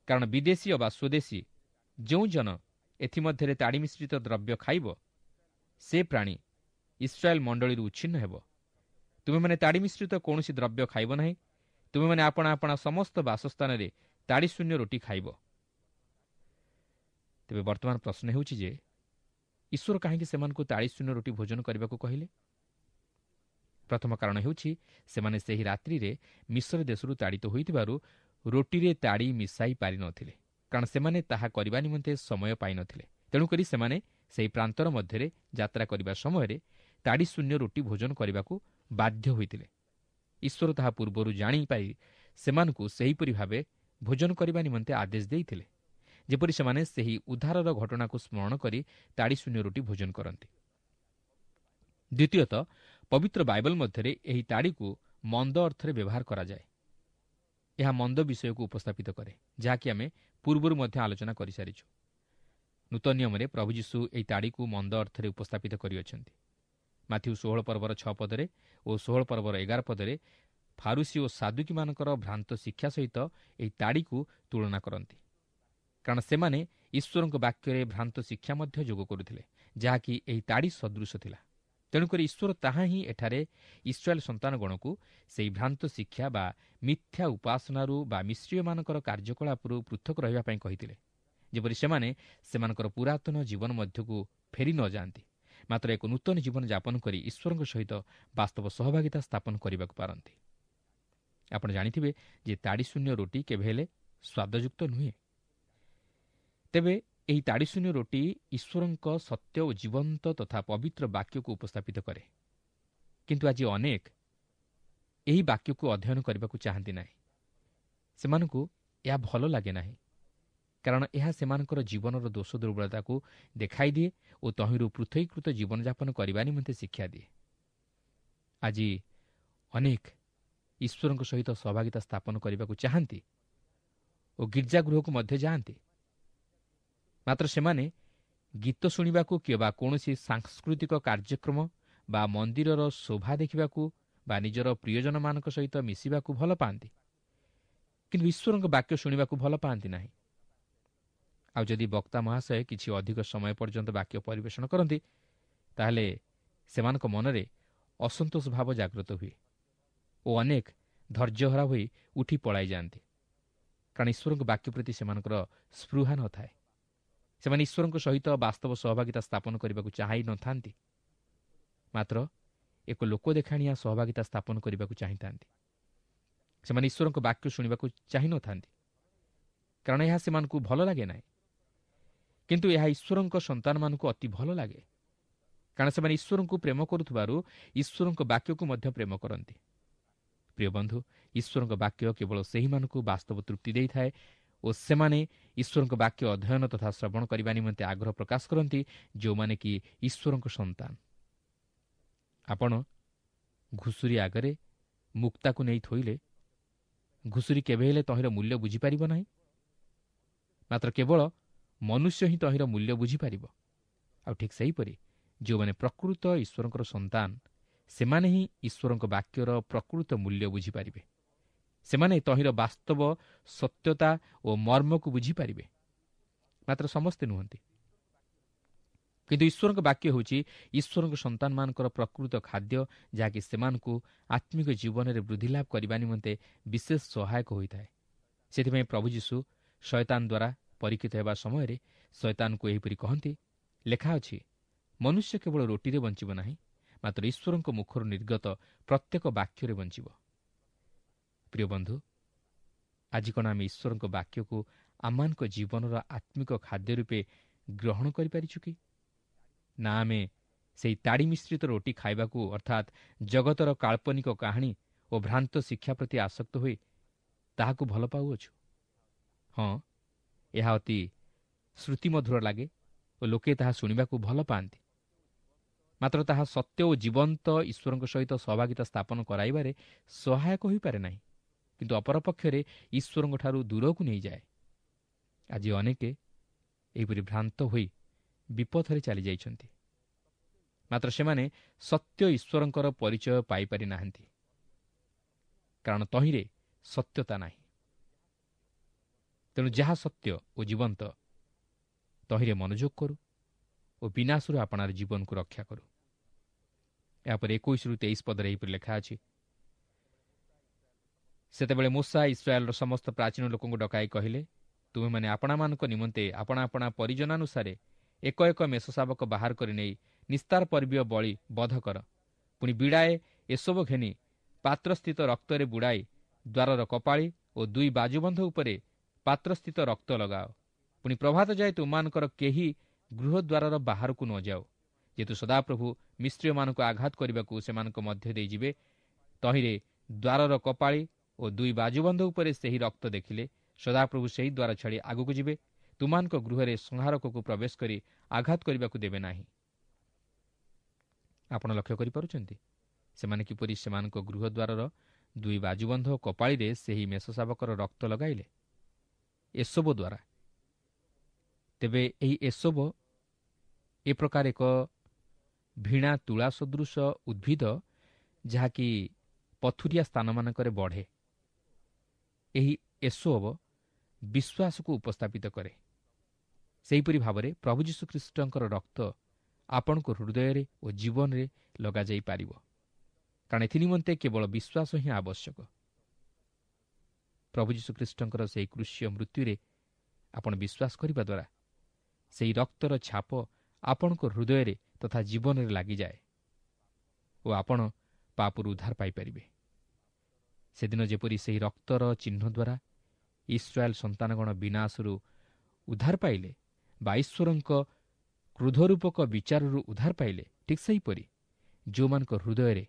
କାରଣ ବିଦେଶୀ ଅବା ସ୍ୱଦେଶୀ ଯେଉଁ ଜନ ଏଥିମଧ୍ୟରେ ତାଡ଼ି ମିଶ୍ରିତ ଦ୍ରବ୍ୟ ଖାଇବ, ସେ ପ୍ରାଣୀ ଇସ୍ରାଏଲ ମଣ୍ଡଳୀରୁ ଉଚ୍ଛିନ୍ନ ହେବ। ତୁମେମାନେ ତାଡ଼ି ମିଶ୍ରିତ କୌଣସି ଦ୍ରବ୍ୟ ଖାଇବ ନାହିଁ। ତୁମେମାନେ ଆପଣା ଆପଣା ସମସ୍ତ ବାସସ୍ଥାନରେ ତାଡ଼ି ଶୂନ୍ୟ ରୋଟି ଖାଇବ। ତେବେ ବର୍ତ୍ତମାନ ପ୍ରଶ୍ନ ହେଉଛି ଯେ ଈଶ୍ୱର କାହିଁକି ସେମାନଙ୍କୁ ତାଡ଼ି ଶୂନ୍ୟ ରୋଟି ଭୋଜନ କରିବାକୁ କହିଲେ? ପ୍ରଥମ କାରଣ ହେଉଛି ସେମାନେ ସେହି ରାତ୍ରିରେ ମିଶ୍ର ଦେଶରୁ ତାଡ଼ିତ ହୋଇଥିବାରୁ ରୋଟିରେ ତାଡ଼ି ମିଶାଇ ପାରିନଥିଲେ, କାରଣ ସେମାନେ ତାହା କରିବା ନିମନ୍ତେ ସମୟ ପାଇନଥିଲେ। ତେଣୁକରି ସେମାନେ ସେହି ପ୍ରାନ୍ତର ମଧ୍ୟରେ ଯାତ୍ରା କରିବା ସମୟରେ ତାଡ଼ି ଶୂନ୍ୟ ରୋଟି ଭୋଜନ କରିବାକୁ ବାଧ୍ୟ ହୋଇଥିଲେ। ଈଶ୍ୱର ତାହା ପୂର୍ବରୁ ଜାଣିପାରି ସେମାନଙ୍କୁ ସେହିପରି ଭାବେ ଭୋଜନ କରିବା ନିମନ୍ତେ ଆଦେଶ ଦେଇଥିଲେ, ଯେପରି ସେମାନେ ସେହି ଉଦ୍ଧାରର ଘଟଣାକୁ ସ୍ମରଣ କରି ତାଡ଼ି ଶୂନ୍ୟ ରୋଟି ଭୋଜନ କରନ୍ତି। ଦ୍ୱିତୀୟତଃ, ପବିତ୍ର ବାଇବଲ ମଧ୍ୟରେ ଏହି ତାଡ଼ିକୁ ମନ୍ଦ ଅର୍ଥରେ ବ୍ୟବହାର କରାଯାଏ। ଏହା ମନ୍ଦ ବିଷୟକୁ ଉପସ୍ଥାପିତ କରେ, ଯାହାକି ଆମେ ପୂର୍ବରୁ ମଧ୍ୟ ଆଲୋଚନା କରିସାରିଛୁ। ନୂତନ ନିୟମରେ ପ୍ରଭୁ ଯୀଶୁ ଏହି ତାଡ଼ିକୁ ମନ୍ଦ ଅର୍ଥରେ ଉପସ୍ଥାପିତ କରିଅଛନ୍ତି। ମାଥିଉ ଷୋହଳ ପର୍ବର ଛଅ ପଦରେ ଓ ଷୋହଳ ପର୍ବର ଏଗାର ପଦରେ ଫାରୁସି ଓ ସାଦୁକୀମାନଙ୍କର ଭ୍ରାନ୍ତ ଶିକ୍ଷା ସହିତ ଏହି ତାଡ଼ିକୁ ତୁଳନା କରନ୍ତି, କାରଣ ସେମାନେ ଈଶ୍ୱରଙ୍କ ବାକ୍ୟରେ ଭ୍ରାନ୍ତ ଶିକ୍ଷା ମଧ୍ୟ ଯୋଗ କରୁଥିଲେ, ଯାହାକି ଏହି ତାଡ଼ି ସଦୃଶ ଥିଲା। ତେଣୁକରି ଈଶ୍ୱର ତାହା ହିଁ ଏଠାରେ ଇସ୍ରାଏଲ ସନ୍ତାନଗଣକୁ ସେହି ଭ୍ରାନ୍ତ ଶିକ୍ଷା ବା ମିଥ୍ୟା ଉପାସନାରୁ ବା ମିଶ୍ରୀୟମାନଙ୍କର କାର୍ଯ୍ୟକଳାପରୁ ପୃଥକ ରହିବା ପାଇଁ କହିଥିଲେ, ଯେପରି ସେମାନେ ସେମାନଙ୍କର ପୁରାତନ ଜୀବନ ମଧ୍ୟକୁ ଫେରି ନ ଯାଆନ୍ତି, ମାତ୍ର ଏକ ନୂତନ ଜୀବନ ଯାପନ କରି ଈଶ୍ୱରଙ୍କ ସହିତ ବାସ୍ତବ ସହଭାଗିତା ସ୍ଥାପନ କରିବାକୁ ପାରନ୍ତି। ଆପଣ ଜାଣିଥିବେ ଯେ ତାଡ଼ିଶୂନ୍ୟ ରୋଟି କେବେ ହେଲେ ସ୍ୱାଦଯୁକ୍ତ ନୁହେଁ। ତେବେ ଏହି ତାଡ଼ିଶୂନ୍ୟ ରୋଟି ଈଶ୍ୱରଙ୍କ ସତ୍ୟ ଓ ଜୀବନ୍ତ ତଥା ପବିତ୍ର ବାକ୍ୟକୁ ଉପସ୍ଥାପିତ କରେ। କିନ୍ତୁ ଆଜି ଅନେକ ଏହି ବାକ୍ୟକୁ ଅଧ୍ୟୟନ କରିବାକୁ ଚାହାନ୍ତି ନାହିଁ। ସେମାନଙ୍କୁ ଏହା ଭଲ ଲାଗେ ନାହିଁ, କାରଣ ଏହା ସେମାନଙ୍କର ଜୀବନର ଦୋଷ ଦୁର୍ବଳତାକୁ ଦେଖାଇ ଦିଏ ଓ ତହିଁରୁ ପୃଥକୀକୃତ ଜୀବନଯାପନ କରିବା ନିମନ୍ତେ ଶିକ୍ଷା ଦିଏ। ଆଜି ଅନେକ ଈଶ୍ୱରଙ୍କ ସହିତ ସହଭାଗିତା ସ୍ଥାପନ କରିବାକୁ ଚାହାନ୍ତି ଓ ଗିର୍ଜାଗୃହକୁ ମଧ୍ୟ ଯାଆନ୍ତି, ମାତ୍ର ସେମାନେ ଗୀତ ଶୁଣିବାକୁ କିମ୍ବା କୌଣସି ସାଂସ୍କୃତିକ କାର୍ଯ୍ୟକ୍ରମ ବା ମନ୍ଦିରର ଶୋଭା ଦେଖିବାକୁ ବା ନିଜର ପ୍ରିୟଜନମାନଙ୍କ ସହିତ ମିଶିବାକୁ ଭଲ ପାଆନ୍ତି, କିନ୍ତୁ ଈଶ୍ୱରଙ୍କ ବାକ୍ୟ ଶୁଣିବାକୁ ଭଲ ପାଆନ୍ତି ନାହିଁ। ଆଉ ଯଦି ବକ୍ତା ମହାଶୟ କିଛି ଅଧିକ ସମୟ ପର୍ଯ୍ୟନ୍ତ ବାକ୍ୟ ପରିବେଷଣ କରନ୍ତି, ତାହେଲେ ସେମାନଙ୍କ ମନରେ ଅସନ୍ତୋଷ ଭାବ ଜାଗ୍ରତ ହୁଏ ଓ ଅନେକ ଧୈର୍ଯ୍ୟହରା ହୋଇ ଉଠି ପଳାଇ ଯାଆନ୍ତି, କାରଣ ଈଶ୍ୱରଙ୍କ ବାକ୍ୟ ପ୍ରତି ସେମାନଙ୍କର ସ୍ପୃହା ନଥାଏ। ସେମାନେ ଈଶ୍ୱରଙ୍କ ସହିତ ବାସ୍ତବ ସହଭାଗିତା ସ୍ଥାପନ କରିବାକୁ ଚାହାଇ ନଥାନ୍ତି, ମାତ୍ର ଏକ ଲୋକ ଦେଖାଣିଆ ସହଭାଗିତା ସ୍ଥାପନ କରିବାକୁ ଚାହିଁଥାନ୍ତି। ସେମାନେ ଈଶ୍ୱରଙ୍କ ବାକ୍ୟ ଶୁଣିବାକୁ ଚାହିଁନଥାନ୍ତି, କାରଣ ଏହା ସେମାନଙ୍କୁ ଭଲ ଲାଗେ ନାହିଁ। କିନ୍ତୁ ଏହା ଈଶ୍ୱରଙ୍କ ସନ୍ତାନମାନଙ୍କୁ ଅତି ଭଲ ଲାଗେ, କାରଣ ସେମାନେ ଈଶ୍ୱରଙ୍କୁ ପ୍ରେମ କରୁଥିବାରୁ ଈଶ୍ୱରଙ୍କ ବାକ୍ୟକୁ ମଧ୍ୟ ପ୍ରେମ କରନ୍ତି। ପ୍ରିୟ ବନ୍ଧୁ, ଈଶ୍ୱରଙ୍କ ବାକ୍ୟ କେବଳ ସେହିମାନଙ୍କୁ ବାସ୍ତବ ତୃପ୍ତି ଦେଇଥାଏ ଓ ସେମାନେ ଈଶ୍ୱରଙ୍କ ବାକ୍ୟ ଅଧ୍ୟୟନ ତଥା ଶ୍ରବଣ କରିବା ନିମନ୍ତେ ଆଗ୍ରହ ପ୍ରକାଶ କରନ୍ତି, ଯେଉଁମାନେ କି ଈଶ୍ୱରଙ୍କ ସନ୍ତାନ। ଆପଣ ଘୁଷୁରୀ ଆଗରେ ମୁକ୍ତାକୁ ନେଇ ଥୋଇଲେ ଘୁଷୁରୀ କେବେ ହେଲେ ତହିଁର ମୂଲ୍ୟ ବୁଝିପାରିବ ନାହିଁ, ମାତ୍ର କେବଳ ମନୁଷ୍ୟ ହିଁ ତହିଁର ମୂଲ୍ୟ ବୁଝିପାରିବ। ଆଉ ଠିକ୍ ସେହିପରି ଯେଉଁମାନେ ପ୍ରକୃତ ଈଶ୍ୱରଙ୍କର ସନ୍ତାନ, ସେମାନେ ହିଁ ଈଶ୍ୱରଙ୍କ ବାକ୍ୟର ପ୍ରକୃତ ମୂଲ୍ୟ ବୁଝିପାରିବେ। ସେମାନେ ତହିଁର ବାସ୍ତବ ସତ୍ୟତା ଓ ମର୍ମକୁ ବୁଝିପାରିବେ, ମାତ୍ର ସମସ୍ତେ ନୁହନ୍ତି। କିନ୍ତୁ ଈଶ୍ୱରଙ୍କ ବାକ୍ୟ ହେଉଛି ଈଶ୍ୱରଙ୍କ ସନ୍ତାନମାନଙ୍କର ପ୍ରକୃତ ଖାଦ୍ୟ, ଯାହାକି ସେମାନଙ୍କୁ ଆତ୍ମିକ ଜୀବନରେ ବୃଦ୍ଧି ଲାଭ କରିବା ନିମନ୍ତେ ବିଶେଷ ସହାୟକ ହୋଇଥାଏ। ସେଥିପାଇଁ ପ୍ରଭୁ ଯୀଶୁ ଶୟତାନ ଦ୍ୱାରା ପରୀକ୍ଷିତ ହେବା ସମୟରେ ଶୟତାନକୁ ଏହିପରି କହନ୍ତି, ଲେଖା ଅଛି, ମନୁଷ୍ୟ କେବଳ ରୋଟିରେ ବଞ୍ଚିବ ନାହିଁ, ମାତ୍ର ଈଶ୍ୱରଙ୍କ ମୁଖରୁ ନିର୍ଗତ ପ୍ରତ୍ୟେକ ବାକ୍ୟରେ ବଞ୍ଚିବ। ପ୍ରିୟ ବନ୍ଧୁ, ଆଜି କ'ଣ ଆମେ ଈଶ୍ୱରଙ୍କ ବାକ୍ୟକୁ ଆମମାନଙ୍କ ଜୀବନର ଆତ୍ମିକ ଖାଦ୍ୟ ରୂପେ ଗ୍ରହଣ କରିପାରିଛୁ କି? ନା ଆମେ ସେହି ତାଡ଼ି ମିଶ୍ରିତ ରୋଟି ଖାଇବାକୁ, ଅର୍ଥାତ୍ ଜଗତର କାଳ୍ପନିକ କାହାଣୀ ଓ ଭ୍ରାନ୍ତ ଶିକ୍ଷା ପ୍ରତି ଆସକ୍ତ ହୋଇ ତାହାକୁ ଭଲ ପାଉଅଛୁ? ହଁ, ଏହା ଅତି ଶ୍ରୁତିମଧୁର ଲାଗେ ଓ ଲୋକେ ତାହା ଶୁଣିବାକୁ ଭଲ ପାଆନ୍ତି, ମାତ୍ର ତାହା ସତ୍ୟ ଓ ଜୀବନ୍ତ ଈଶ୍ୱରଙ୍କ ସହିତ ସହଭାଗିତା ସ୍ଥାପନ କରାଇବାରେ ସହାୟକ ହୋଇପାରେ ନାହିଁ, କିନ୍ତୁ ଅପରପକ୍ଷରେ ଈଶ୍ୱରଙ୍କଠାରୁ ଦୂରକୁ ନେଇଯାଏ। ଆଜି ଅନେକେ ଏହିପରି ଭ୍ରାନ୍ତ ହୋଇ ବିପଥରେ ଚାଲିଯାଇଛନ୍ତି, ମାତ୍ର ସେମାନେ ସତ୍ୟ ଈଶ୍ୱରଙ୍କର ପରିଚୟ ପାଇପାରି ନାହାନ୍ତି, କାରଣ ତହିଁରେ ସତ୍ୟତା ନାହିଁ। ତେଣୁ ଯାହା ସତ୍ୟ ଓ ଜୀବନ୍ତ ତହିଁରେ ମନୋଯୋଗ କରୁ ଓ ବିନାଶରୁ ଆପଣାର ଜୀବନକୁ ରକ୍ଷା କରୁ। ଏହାପରେ ଏକୋଇଶରୁ ତେଇଶ ପଦରେ ଏହିପରି ଲେଖା ଅଛି, ସେତେବେଳେ ମୋଶା ଇସ୍ରାଏଲର ସମସ୍ତ ପ୍ରାଚୀନ ଲୋକଙ୍କୁ ଡକାଇ କହିଲେ, ତୁମେମାନେ ଆପଣାମାନଙ୍କ ନିମନ୍ତେ ଆପଣା ଆପଣା ପରିଜନାନୁସାରେ ଏକ ଏକ ମେଷ ଶାବକ ବାହାର କରି ନେଇ ନିସ୍ତାର ପର୍ବୀୟ ବଳି ବଧ କର। ପୁଣି ବିଡ଼ାଏ ଏସବ ଘେନି ପାତ୍ରସ୍ଥିତ ରକ୍ତରେ ବୁଡ଼ାଇ ଦ୍ୱାରର କପାଳି ଓ ଦୁଇ ବାଜୁବନ୍ଧ ଉପରେ ପାତ୍ରସ୍ଥିତ ରକ୍ତ ଲଗାଅ। ପୁଣି ପ୍ରଭାତ ଯାଏ ତୁମମାନଙ୍କର କେହି ଗୃହଦ୍ୱାରର ବାହାରକୁ ନ ଯାଅ, ଯେହେତୁ ସଦାପ୍ରଭୁ ମିଶ୍ରୀୟମାନଙ୍କୁ ଆଘାତ କରିବାକୁ ସେମାନଙ୍କ ମଧ୍ୟ ଦେଇଯିବେ। ତହିଁରେ ଦ୍ୱାରର କପାଳି ଓ ଦୁଇ ବାଜୁବନ୍ଧ ଉପରେ ସେହି ରକ୍ତ ଦେଖିଲେ ସଦାପ୍ରଭୁ ସେହି ଦ୍ୱାର ଛାଡ଼ି ଆଗକୁ ଯିବେ, ତୁମମାନଙ୍କ ଗୃହରେ ସଂହାରକକୁ ପ୍ରବେଶ କରି ଆଘାତ କରିବାକୁ ଦେବେ ନାହିଁ। ଆପଣ ଲକ୍ଷ୍ୟ କରିପାରୁଛନ୍ତି ସେମାନେ କିପରି ସେମାନଙ୍କ ଗୃହଦ୍ୱାରର ଦୁଇ ବାଜୁବନ୍ଧ ଓ କପାଳିରେ ସେହି ମେଷ ଶାବକର ରକ୍ତ ଲଗାଇଲେ ଏସୋବ ଦ୍ୱାରା। ତେବେ ଏହି ଏସୋବ ଏ ପ୍ରକାର ଏକ ଭିଣା ତୁଳା ସଦୃଶ ଉଦ୍ଭିଦ, ଯାହାକି ପଥୁରିଆ ସ୍ଥାନମାନଙ୍କରେ ବଢ଼େ। ଏହି ଏସୋବ ବିଶ୍ୱାସକୁ ଉପସ୍ଥାପିତ କରେ। ସେହିପରି ଭାବରେ ପ୍ରଭୁ ଯୀଶୁଖ୍ରୀଷ୍ଟଙ୍କର ରକ୍ତ ଆପଣଙ୍କ ହୃଦୟରେ ଓ ଜୀବନରେ ଲଗାଯାଇପାରିବ, କାରଣ ଏଥିନିମନ୍ତେ କେବଳ ବିଶ୍ୱାସ ହିଁ ଆବଶ୍ୟକ। ପ୍ରଭୁ ଯୀଶୁଖ୍ରୀଷ୍ଟଙ୍କର ସେହି କୃଷୀୟ ମୃତ୍ୟୁରେ ଆପଣ ବିଶ୍ୱାସ କରିବା ଦ୍ୱାରା ସେହି ରକ୍ତର ଛାପ ଆପଣଙ୍କ ହୃଦୟରେ ତଥା ଜୀବନରେ ଲାଗିଯାଏ ଓ ଆପଣ ପାପରୁ ଉଦ୍ଧାର ପାଇପାରିବେ। ସେଦିନ ଯେପରି ସେହି ରକ୍ତର ଚିହ୍ନ ଦ୍ୱାରା ଇସ୍ରାଏଲ ସନ୍ତାନଗଣ ବିନାଶରୁ ଉଦ୍ଧାର ପାଇଲେ ବା ଈଶ୍ୱରଙ୍କ କ୍ରୋଧରୂପକ ବିଚାରରୁ ଉଦ୍ଧାର ପାଇଲେ, ଠିକ୍ ସେହିପରି ଯେଉଁମାନଙ୍କ ହୃଦୟରେ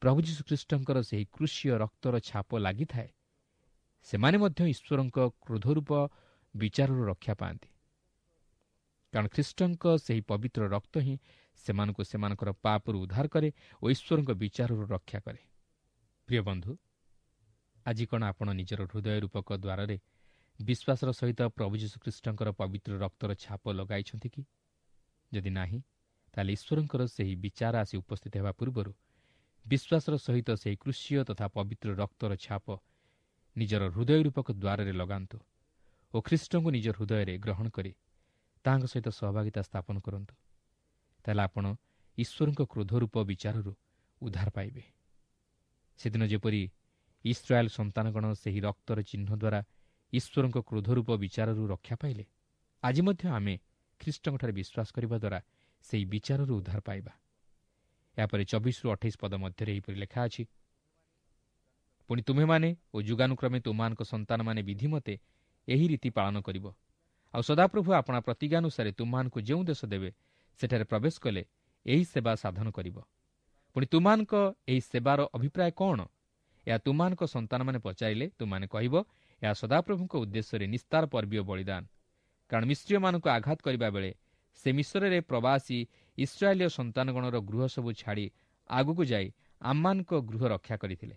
ପ୍ରଭୁ ଯୀଶୁଖ୍ରୀଷ୍ଟଙ୍କର ସେହି କୃଷୀୟ ରକ୍ତର ଛାପ ଲାଗିଥାଏ, ସେମାନେ ମଧ୍ୟ ଈଶ୍ୱରଙ୍କ କ୍ରୋଧରୂପ ବିଚାରରୁ ରକ୍ଷା ପାଆନ୍ତି। କାରଣ ଖ୍ରୀଷ୍ଟଙ୍କ ସେହି ପବିତ୍ର ରକ୍ତ ହିଁ ସେମାନଙ୍କୁ ସେମାନଙ୍କର ପାପରୁ ଉଦ୍ଧାର କରେ ଓ ଈଶ୍ୱରଙ୍କ ବିଚାରରୁ ରକ୍ଷା କରେ। ପ୍ରିୟ ବନ୍ଧୁ, ଆଜି କ'ଣ ଆପଣ ନିଜର ହୃଦୟ ରୂପକ ଦ୍ୱାରରେ ବିଶ୍ୱାସର ସହିତ ପ୍ରଭୁ ଯୀଶୁଖ୍ରୀଷ୍ଟଙ୍କର ପବିତ୍ର ରକ୍ତର ଛାପ ଲଗାଇଛନ୍ତି କି? ଯଦି ନାହିଁ, ତାହେଲେ ଈଶ୍ୱରଙ୍କର ସେହି ବିଚାର ଆସି ଉପସ୍ଥିତ ହେବା ପୂର୍ବରୁ ବିଶ୍ୱାସର ସହିତ ସେହି କୃଷୀୟ ତଥା ପବିତ୍ର ରକ୍ତର ଛାପ ନିଜର ହୃଦୟ ରୂପକ ଦ୍ୱାରରେ ଲଗାନ୍ତୁ ଓ ଖ୍ରୀଷ୍ଟଙ୍କୁ ନିଜ ହୃଦୟରେ ଗ୍ରହଣ କରି ତାହାଙ୍କ ସହିତ ସହଭାଗିତା ସ୍ଥାପନ କରନ୍ତୁ। ତାହେଲେ ଆପଣ ଈଶ୍ୱରଙ୍କ କ୍ରୋଧ ରୂପ ବିଚାରରୁ ଉଦ୍ଧାର ପାଇବେ। ସେଦିନ ଯେପରି ଇସ୍ରାଏଲ ସନ୍ତାନଗଣ ସେହି ରକ୍ତର ଚିହ୍ନ ଦ୍ୱାରା ଈଶ୍ୱରଙ୍କ କ୍ରୋଧ ରୂପ ବିଚାରରୁ ରକ୍ଷା ପାଇଲେ, ଆଜି ମଧ୍ୟ ଆମେ ଖ୍ରୀଷ୍ଟଙ୍କଠାରେ ବିଶ୍ୱାସ କରିବା ଦ୍ୱାରା ସେହି ବିଚାରରୁ ଉଦ୍ଧାର ପାଇବା। ଏହାପରେ ଚବିଶରୁ ଅଠେଇଶ ପଦ ମଧ୍ୟରେ ଏହିପରି ଲେଖା ଅଛି, ପୁଣି ତୁମ୍ଭେମାନେ ଓ ଯୁଗାନୁକ୍ରମେ ତୁମମାନଙ୍କ ସନ୍ତାନମାନେ ବିଧିମତେ ଏହି ରୀତି ପାଳନ କରିବ। ଆଉ ସଦାପ୍ରଭୁ ଆପଣା ପ୍ରତିଜ୍ଞାନୁସାରେ ତୁମମାନଙ୍କୁ ଯେଉଁ ଦେଶ ଦେବେ ସେଠାରେ ପ୍ରବେଶ କଲେ ଏହି ସେବା ସାଧନ କରିବ। ପୁଣି ତୁମମାନଙ୍କ ଏହି ସେବାର ଅଭିପ୍ରାୟ କ'ଣ, ଏହା ତୁମମାନଙ୍କ ସନ୍ତାନମାନେ ପଚାରିଲେ ତୁମମାନେ କହିବ, ଏହା ସଦାପ୍ରଭୁଙ୍କ ଉଦ୍ଦେଶ୍ୟରେ ନିସ୍ତାର ପର୍ବୀୟ ବଳିଦାନ। କାରଣ ମିଶ୍ରୀୟମାନଙ୍କୁ ଆଘାତ କରିବା ବେଳେ ସେ ମିଶ୍ରରେ ପ୍ରବାସୀ ଇସ୍ରାଏଲୀୟ ସନ୍ତାନଗଣର ଗୃହ ସବୁ ଛାଡ଼ି ଆଗକୁ ଯାଇ ଆମମାନଙ୍କ ଗୃହ ରକ୍ଷା କରିଥିଲେ।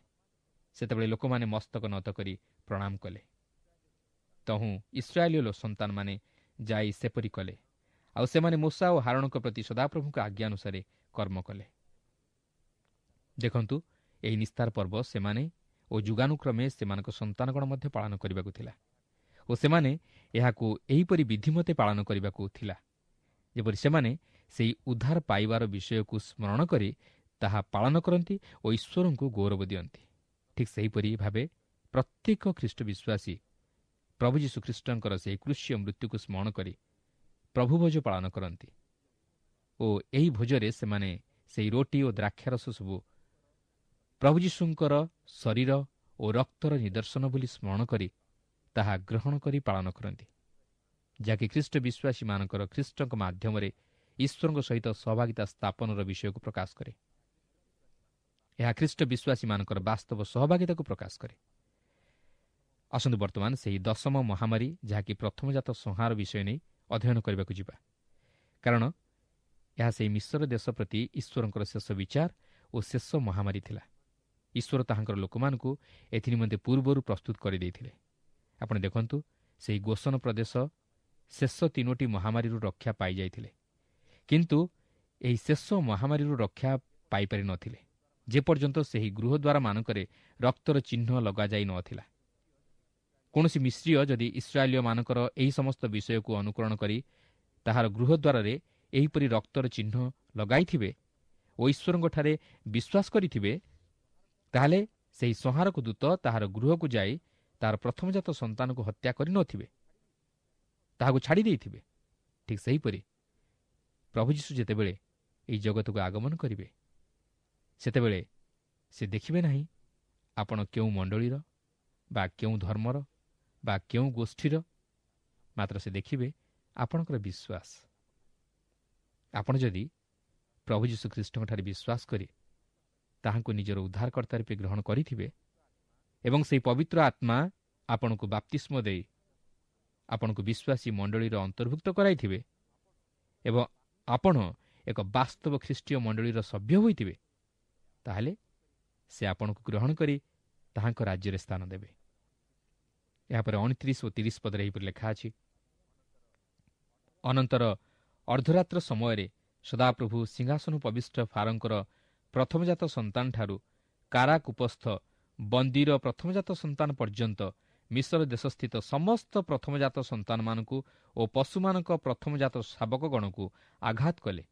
ସେତେବେଳେ ଲୋକମାନେ ମସ୍ତକ ନତ କରି ପ୍ରଣାମ କଲେ। ତହୁଁ ଇସ୍ରାଏଲୀୟ ସନ୍ତାନମାନେ ଯାଇ ସେପରି କଲେ, ଆଉ ସେମାନେ ମୋଶା ଓ ହାରୋଣଙ୍କ ପ୍ରତି ସଦାପ୍ରଭୁଙ୍କ ଆଜ୍ଞା ଅନୁସାରେ କର୍ମ କଲେ। ଦେଖନ୍ତୁ, ଏହି ନିସ୍ତାର ପର୍ବ ସେମାନେ ଓ ଯୁଗାନୁକ୍ରମେ ସେମାନଙ୍କ ସନ୍ତାନଗଣ ମଧ୍ୟ ପାଳନ କରିବାକୁ ଥିଲା ଓ ସେମାନେ ଏହାକୁ ଏହିପରି ବିଧିମତେ ପାଳନ କରିବାକୁ ଥିଲା, ଯେପରି ସେମାନେ ସେହି ଉଦ୍ଧାର ପାଇବାର ବିଷୟକୁ ସ୍ମରଣ କରି ତାହା ପାଳନ କରନ୍ତି ଓ ଈଶ୍ୱରଙ୍କୁ ଗୌରବ ଦିଅନ୍ତି। ଠିକ୍ ସେହିପରି ଭାବେ ପ୍ରତ୍ୟେକ ଖ୍ରୀଷ୍ଟ ବିଶ୍ୱାସୀ ପ୍ରଭୁ ଯୀଶୁ ଖ୍ରୀଷ୍ଟଙ୍କର ସେହି କୃଷୀୟ ମୃତ୍ୟୁକୁ ସ୍ମରଣ କରି ପ୍ରଭୁ ଭୋଜ ପାଳନ କରନ୍ତି ଓ ଏହି ଭୋଜରେ ସେମାନେ ସେହି ରୋଟି ଓ ଦ୍ରାକ୍ଷାରସ ସବୁ ପ୍ରଭୁ ଯୀଶୁଙ୍କର ଶରୀର ଓ ରକ୍ତର ନିଦର୍ଶନ ବୋଲି ସ୍ମରଣ କରି ତାହା ଗ୍ରହଣ କରି ପାଳନ କରନ୍ତି, ଯାହାକି ଖ୍ରୀଷ୍ଟ ବିଶ୍ୱାସୀମାନଙ୍କର ଖ୍ରୀଷ୍ଟଙ୍କ ମାଧ୍ୟମରେ ଈଶ୍ୱରଙ୍କ ସହିତ ସହଭାଗିତା ସ୍ଥାପନର ବିଷୟକୁ ପ୍ରକାଶ କରେ। ଏହା ଖ୍ରୀଷ୍ଟ ବିଶ୍ୱାସୀମାନଙ୍କର ବାସ୍ତବ ସହଭାଗିତାକୁ ପ୍ରକାଶ କରେ। ଆସନ୍ତୁ ବର୍ତ୍ତମାନ ସେହି ଦଶମ ମହାମାରୀ, ଯାହାକି ପ୍ରଥମଜାତ ସଂହାର ବିଷୟ ନେଇ ଅଧ୍ୟୟନ କରିବାକୁ ଯିବା, କାରଣ ଏହା ସେହି ମିଶ୍ର ଦେଶ ପ୍ରତି ଈଶ୍ୱରଙ୍କର ଶେଷ ବିଚାର ଓ ଶେଷ ମହାମାରୀ ଥିଲା। ଈଶ୍ୱର ତାହାଙ୍କର ଲୋକମାନଙ୍କୁ ଏଥିନିମନ୍ତେ ପୂର୍ବରୁ ପ୍ରସ୍ତୁତ କରିଦେଇଥିଲେ। ଆପଣ ଦେଖନ୍ତୁ, ସେହି ଗୋସନ ପ୍ରଦେଶ ଶେଷ ତିନୋଟି ମହାମାରୀରୁ ରକ୍ଷା ପାଇଯାଇଥିଲେ, କିନ୍ତୁ ଏହି ଶେଷ ମହାମାରୀରୁ ରକ୍ଷା ପାଇପାରିନଥିଲେ ଯେପର୍ଯ୍ୟନ୍ତ ସେହି ଗୃହଦ୍ୱାରମାନଙ୍କରେ ରକ୍ତର ଚିହ୍ନ ଲଗାଯାଇ ନଥିଲା। କୌଣସି ମିଶ୍ରୀୟ ଯଦି ଇସ୍ରାଏଲୀୟମାନଙ୍କର ଏହି ସମସ୍ତ ବିଷୟକୁ ଅନୁକରଣ କରି ତାହାର ଗୃହଦ୍ୱାରରେ ଏହିପରି ରକ୍ତର ଚିହ୍ନ ଲଗାଇଥିବେ ଓ ଈଶ୍ୱରଙ୍କଠାରେ ବିଶ୍ୱାସ କରିଥିବେ, ତାହେଲେ ସେହି ସଂହାରକ ଦୂତ ତାହାର ଗୃହକୁ ଯାଇ ତାହାର ପ୍ରଥମଜାତ ସନ୍ତାନକୁ ହତ୍ୟା କରିନଥିବେ, ତାହାକୁ ଛାଡ଼ି ଦେଇଥିବେ। ଠିକ୍ ସେହିପରି ପ୍ରଭୁ ଯୀଶୁ ଯେତେବେଳେ ଏହି ଜଗତକୁ ଆଗମନ କରିବେ, ସେତେବେଳେ ସେ ଦେଖିବେ ନାହିଁ ଆପଣ କେଉଁ ମଣ୍ଡଳୀର ବା କେଉଁ ଧର୍ମର ବା କେଉଁ ଗୋଷ୍ଠୀର, ମାତ୍ର ସେ ଦେଖିବେ ଆପଣଙ୍କର ବିଶ୍ୱାସ। ଆପଣ ଯଦି ପ୍ରଭୁ ଯୀଶୁ ଖ୍ରୀଷ୍ଟଙ୍କଠାରେ ବିଶ୍ୱାସ କରି ତାହାଙ୍କୁ ନିଜର ଉଦ୍ଧାରକର୍ତ୍ତା ରୂପେ ଗ୍ରହଣ କରିଥିବେ ଏବଂ ସେହି ପବିତ୍ର ଆତ୍ମା ଆପଣଙ୍କୁ ବାପ୍ତିସ୍ମ ଦେଇ ଆପଣଙ୍କୁ ବିଶ୍ୱାସୀ ମଣ୍ଡଳୀର ଅନ୍ତର୍ଭୁକ୍ତ କରାଇଥିବେ ଏବଂ ଆପଣ ଏକ ବାସ୍ତବ ଖ୍ରୀଷ୍ଟୀୟ ମଣ୍ଡଳୀର ସଭ୍ୟ ହୋଇଥିବେ, ତାହେଲେ ସେ ଆପଣଙ୍କୁ ଗ୍ରହଣ କରି ତାହାଙ୍କ ରାଜ୍ୟରେ ସ୍ଥାନ ଦେବେ। ଏହାପରେ ଅଣତିରିଶ ଓ ତିରିଶ ପଦରେ ଏହିପରି ଲେଖା ଅଛି, ଅନନ୍ତର ଅର୍ଦ୍ଧରାତ୍ର ସମୟରେ ସଦାପ୍ରଭୁ ସିଂହାସନ ଉପବିଷ୍ଟ ଫାରୋଙ୍କର ପ୍ରଥମଜାତ ସନ୍ତାନଠାରୁ କାରାକୂପସ୍ଥ ବନ୍ଦୀର ପ୍ରଥମଜାତ ସନ୍ତାନ ପର୍ଯ୍ୟନ୍ତ ମିଶର ଦେଶସ୍ଥିତ ସମସ୍ତ ପ୍ରଥମଜାତ ସନ୍ତାନମାନଙ୍କୁ ଓ ପଶୁମାନଙ୍କ ପ୍ରଥମଜାତ ଶାବକଗଣକୁ ଆଘାତ କଲେ।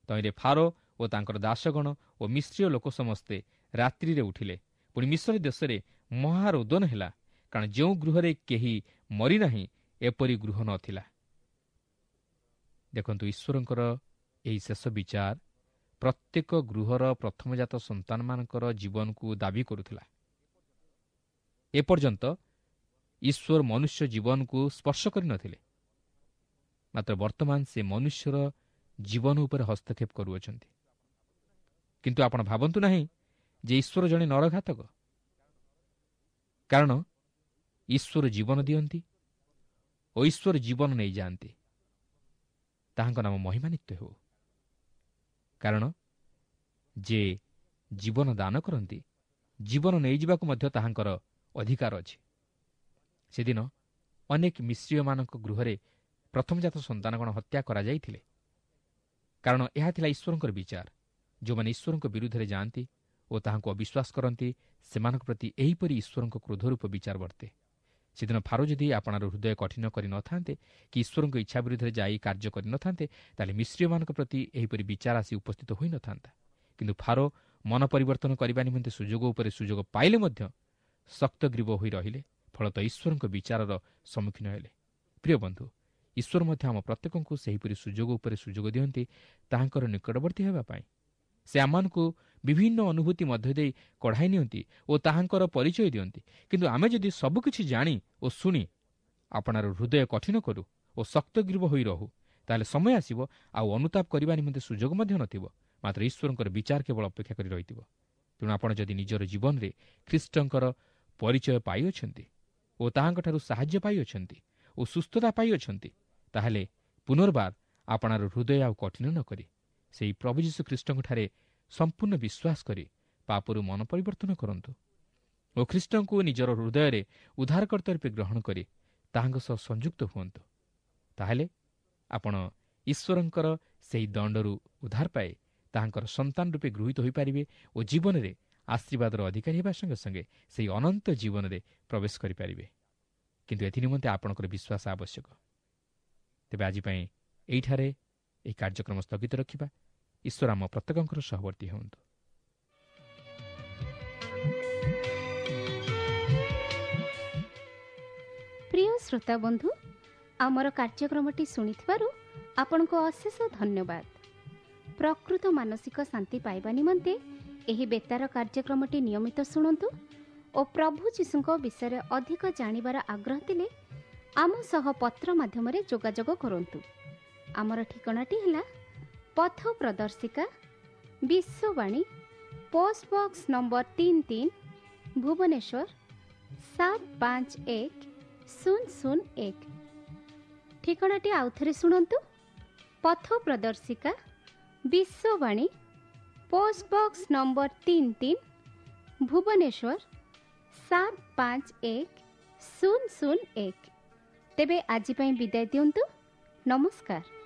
ତହିଁରେ ଫାରୋ ଓ ତାଙ୍କର ଦାସଗଣ ଓ ମିଶ୍ରୀୟ ଲୋକ ସମସ୍ତେ ରାତ୍ରିରେ ଉଠିଲେ। ପୁଣି ମିଶର ଦେଶରେ ମହାରୋଦନ ହେଲା, କାରଣ ଯେଉଁ ଗୃହରେ କେହି ମରିନାହିଁ ଏପରି ଗୃହ ନଥିଲା। ଦେଖନ୍ତୁ, ଈଶ୍ୱରଙ୍କର ଏହି ଶେଷ ବିଚାର ପ୍ରତ୍ୟେକ ଗୃହର ପ୍ରଥମଜାତ ସନ୍ତାନମାନଙ୍କର ଜୀବନକୁ ଦାବି କରୁଥିଲା। ଏପର୍ଯ୍ୟନ୍ତ ଈଶ୍ୱର ମନୁଷ୍ୟ ଜୀବନକୁ ସ୍ପର୍ଶ କରିନଥିଲେ, ମାତ୍ର ବର୍ତ୍ତମାନ ସେ ମନୁଷ୍ୟର ଜୀବନ ଉପରେ ହସ୍ତକ୍ଷେପ କରୁଅଛନ୍ତି। କିନ୍ତୁ ଆପଣ ଭାବନ୍ତୁ ନାହିଁ ଯେ ଈଶ୍ୱର ଜଣେ ନରଘାତକ, କାରଣ ଈଶ୍ୱର ଜୀବନ ଦିଅନ୍ତି ଓ ଈଶ୍ୱର ଜୀବନ ନେଇଯାଆନ୍ତି। ତାହାଙ୍କ ନାମ ମହିମାନିତ୍ୟ ହେଉ, କାରଣ ଯେ ଜୀବନ ଦାନ କରନ୍ତି ଜୀବନ ନେଇଯିବାକୁ ମଧ୍ୟ ତାହାଙ୍କର ଅଧିକାର ଅଛି। ସେଦିନ ଅନେକ ମିଶ୍ରୀୟମାନଙ୍କ ଗୃହରେ ପ୍ରଥମଜାତ ସନ୍ତାନଗଣ ହତ୍ୟା କରାଯାଇଥିଲେ, କାରଣ ଏହା ଥିଲା ଈଶ୍ୱରଙ୍କର ବିଚାର। ଯେଉଁମାନେ ଈଶ୍ୱରଙ୍କ ବିରୁଦ୍ଧରେ ଯାଆନ୍ତି ଓ ତାହାଙ୍କୁ ଅବିଶ୍ୱାସ କରନ୍ତି, ସେମାନଙ୍କ ପ୍ରତି ଏହିପରି ଈଶ୍ୱରଙ୍କ କ୍ରୋଧରୂପ ବିଚାର ବର୍ତ୍ତେ। ସେଦିନ ଫାରୋ ଯଦି ଆପଣାର ହୃଦୟ କଠିନ କରିନଥାନ୍ତେ କି ଈଶ୍ୱରଙ୍କ ଇଚ୍ଛା ବିରୁଦ୍ଧରେ ଯାଇ କାର୍ଯ୍ୟ କରିନଥାନ୍ତେ, ତାହେଲେ ମିଶ୍ରୀୟମାନଙ୍କ ପ୍ରତି ଏହିପରି ବିଚାର ଆସି ଉପସ୍ଥିତ ହୋଇନଥାନ୍ତା। କିନ୍ତୁ ଫାରୋ ମନ ପରିବର୍ତ୍ତନ କରିବା ନିମନ୍ତେ ସୁଯୋଗ ଉପରେ ସୁଯୋଗ ପାଇଲେ ମଧ୍ୟ ଶକ୍ତଗ୍ରୀବ ହୋଇ ରହିଲେ, ଫଳତଃ ଈଶ୍ୱରଙ୍କ ବିଚାରର ସମ୍ମୁଖୀନ ହେଲେ। ପ୍ରିୟ ବନ୍ଧୁ, ଈଶ୍ୱର ମଧ୍ୟ ଆମ ପ୍ରତ୍ୟେକଙ୍କୁ ସେହିପରି ସୁଯୋଗ ଉପରେ ସୁଯୋଗ ଦିଅନ୍ତି ତାହାଙ୍କର ନିକଟବର୍ତ୍ତୀ ହେବା ପାଇଁ। ସେ ଆମମାନଙ୍କୁ ବିଭିନ୍ନ ଅନୁଭୂତି ମଧ୍ୟ ଦେଇ କଢ଼ାଇ ନିଅନ୍ତି ଓ ତାହାଙ୍କର ପରିଚୟ ଦିଅନ୍ତି। କିନ୍ତୁ ଆମେ ଯଦି ସବୁକିଛି ଜାଣି ଓ ଶୁଣି ଆପଣାର ହୃଦୟ କଠିନ କରୁ ଓ ଶକ୍ତଗ୍ରୀବ ହୋଇ ରହୁ, ତାହେଲେ ସମୟ ଆସିବ ଆଉ ଅନୁତାପ କରିବା ନିମନ୍ତେ ସୁଯୋଗ ମଧ୍ୟ ନଥିବ, ମାତ୍ର ଈଶ୍ୱରଙ୍କର ବିଚାର କେବଳ ଅପେକ୍ଷା କରି ରହିଥିବ। ତେଣୁ ଆପଣ ଯଦି ନିଜର ଜୀବନରେ ଖ୍ରୀଷ୍ଟଙ୍କର ପରିଚୟ ପାଇଅଛନ୍ତି ଓ ତାହାଙ୍କଠାରୁ ସାହାଯ୍ୟ ପାଇଅଛନ୍ତି ଓ ସୁସ୍ଥତା ପାଇଅଛନ୍ତି, ତାହେଲେ ପୁନର୍ବାର ଆପଣାର ହୃଦୟ ଆଉ କଠିନ ନ କରି ସେହି ପ୍ରଭୁ ଯୀଶୁ ଖ୍ରୀଷ୍ଟଙ୍କଠାରେ ସମ୍ପୂର୍ଣ୍ଣ ବିଶ୍ୱାସ କରି ପାପରୁ ମନ ପରିବର୍ତ୍ତନ କରନ୍ତୁ ଓ ଖ୍ରୀଷ୍ଟଙ୍କୁ ନିଜର ହୃଦୟରେ ଉଦ୍ଧାରକର୍ତ୍ତା ରୂପେ ଗ୍ରହଣ କରି ତାହାଙ୍କ ସହ ସଂଯୁକ୍ତ ହୁଅନ୍ତୁ। ତାହେଲେ ଆପଣ ଈଶ୍ୱରଙ୍କର ସେହି ଦଣ୍ଡରୁ ଉଦ୍ଧାର ପାଇ ତାହାଙ୍କର ସନ୍ତାନ ରୂପେ ଗୃହୀତ ହୋଇପାରିବେ ଓ ଜୀବନରେ ଆଶୀର୍ବାଦର ଅଧିକାରୀ ହେବା ସଙ୍ଗେ ସଙ୍ଗେ ସେହି ଅନନ୍ତ ଜୀବନରେ ପ୍ରବେଶ କରିପାରିବେ। କିନ୍ତୁ ଏଥିନିମନ୍ତେ ଆପଣଙ୍କର ବିଶ୍ୱାସ ଆବଶ୍ୟକ। ତେବେ ଆଜି ପାଇଁ ଏଇଠାରେ ଏହି କାର୍ଯ୍ୟକ୍ରମ ସ୍ଥଗିତ ରଖିବା। ଈଶ୍ୱର ଆମ ପ୍ରତ୍ୟେକଙ୍କର ସହବର୍ତ୍ତୀ ହୁଅନ୍ତୁ। ପ୍ରିୟ ଶ୍ରୋତା ବନ୍ଧୁ, ଆମର କାର୍ଯ୍ୟକ୍ରମଟି ଶୁଣିଥିବାରୁ ଆପଣଙ୍କୁ ଅଶେଷ ଧନ୍ୟବାଦ। ପ୍ରକୃତ ମାନସିକ ଶାନ୍ତି ପାଇବା ନିମନ୍ତେ ଏହି ବେତାର କାର୍ଯ୍ୟକ୍ରମଟି ନିୟମିତ ଶୁଣନ୍ତୁ ଓ ପ୍ରଭୁ ଯୀଶୁଙ୍କ ବିଷୟରେ ଅଧିକ ଜାଣିବାର ଆଗ୍ରହ ଥିଲେ ଆମ ସହ ପତ୍ର ମାଧ୍ୟମରେ ଯୋଗାଯୋଗ କରନ୍ତୁ। ଆମର ଠିକଣାଟି ହେଲା ପଥ ପ୍ରଦର୍ଶିକା, ବିଶ୍ୱବାଣୀ, ପୋଷ୍ଟ ବକ୍ସ ନମ୍ବର ତିନି ତିନି, ଭୁବନେଶ୍ୱର ସାତ ପାଞ୍ଚ ଏକ ଶୂନ ଶୂନ ଏକ। ଠିକଣାଟି ଆଉଥରେ ଶୁଣନ୍ତୁ, ପଥ ପ୍ରଦର୍ଶିକା, ବିଶ୍ୱବାଣୀ, ପୋଷ୍ଟ ବକ୍ସ ନମ୍ବର ତିନି ତିନି, ଭୁବନେଶ୍ୱର ସାତ ପାଞ୍ଚ ଏକ ଶୂନ ଶୂନ ଏକ। ତେବେ ଆଜି ପାଇଁ ବିଦାୟ ଦିଅନ୍ତୁ। ନମସ୍କାର।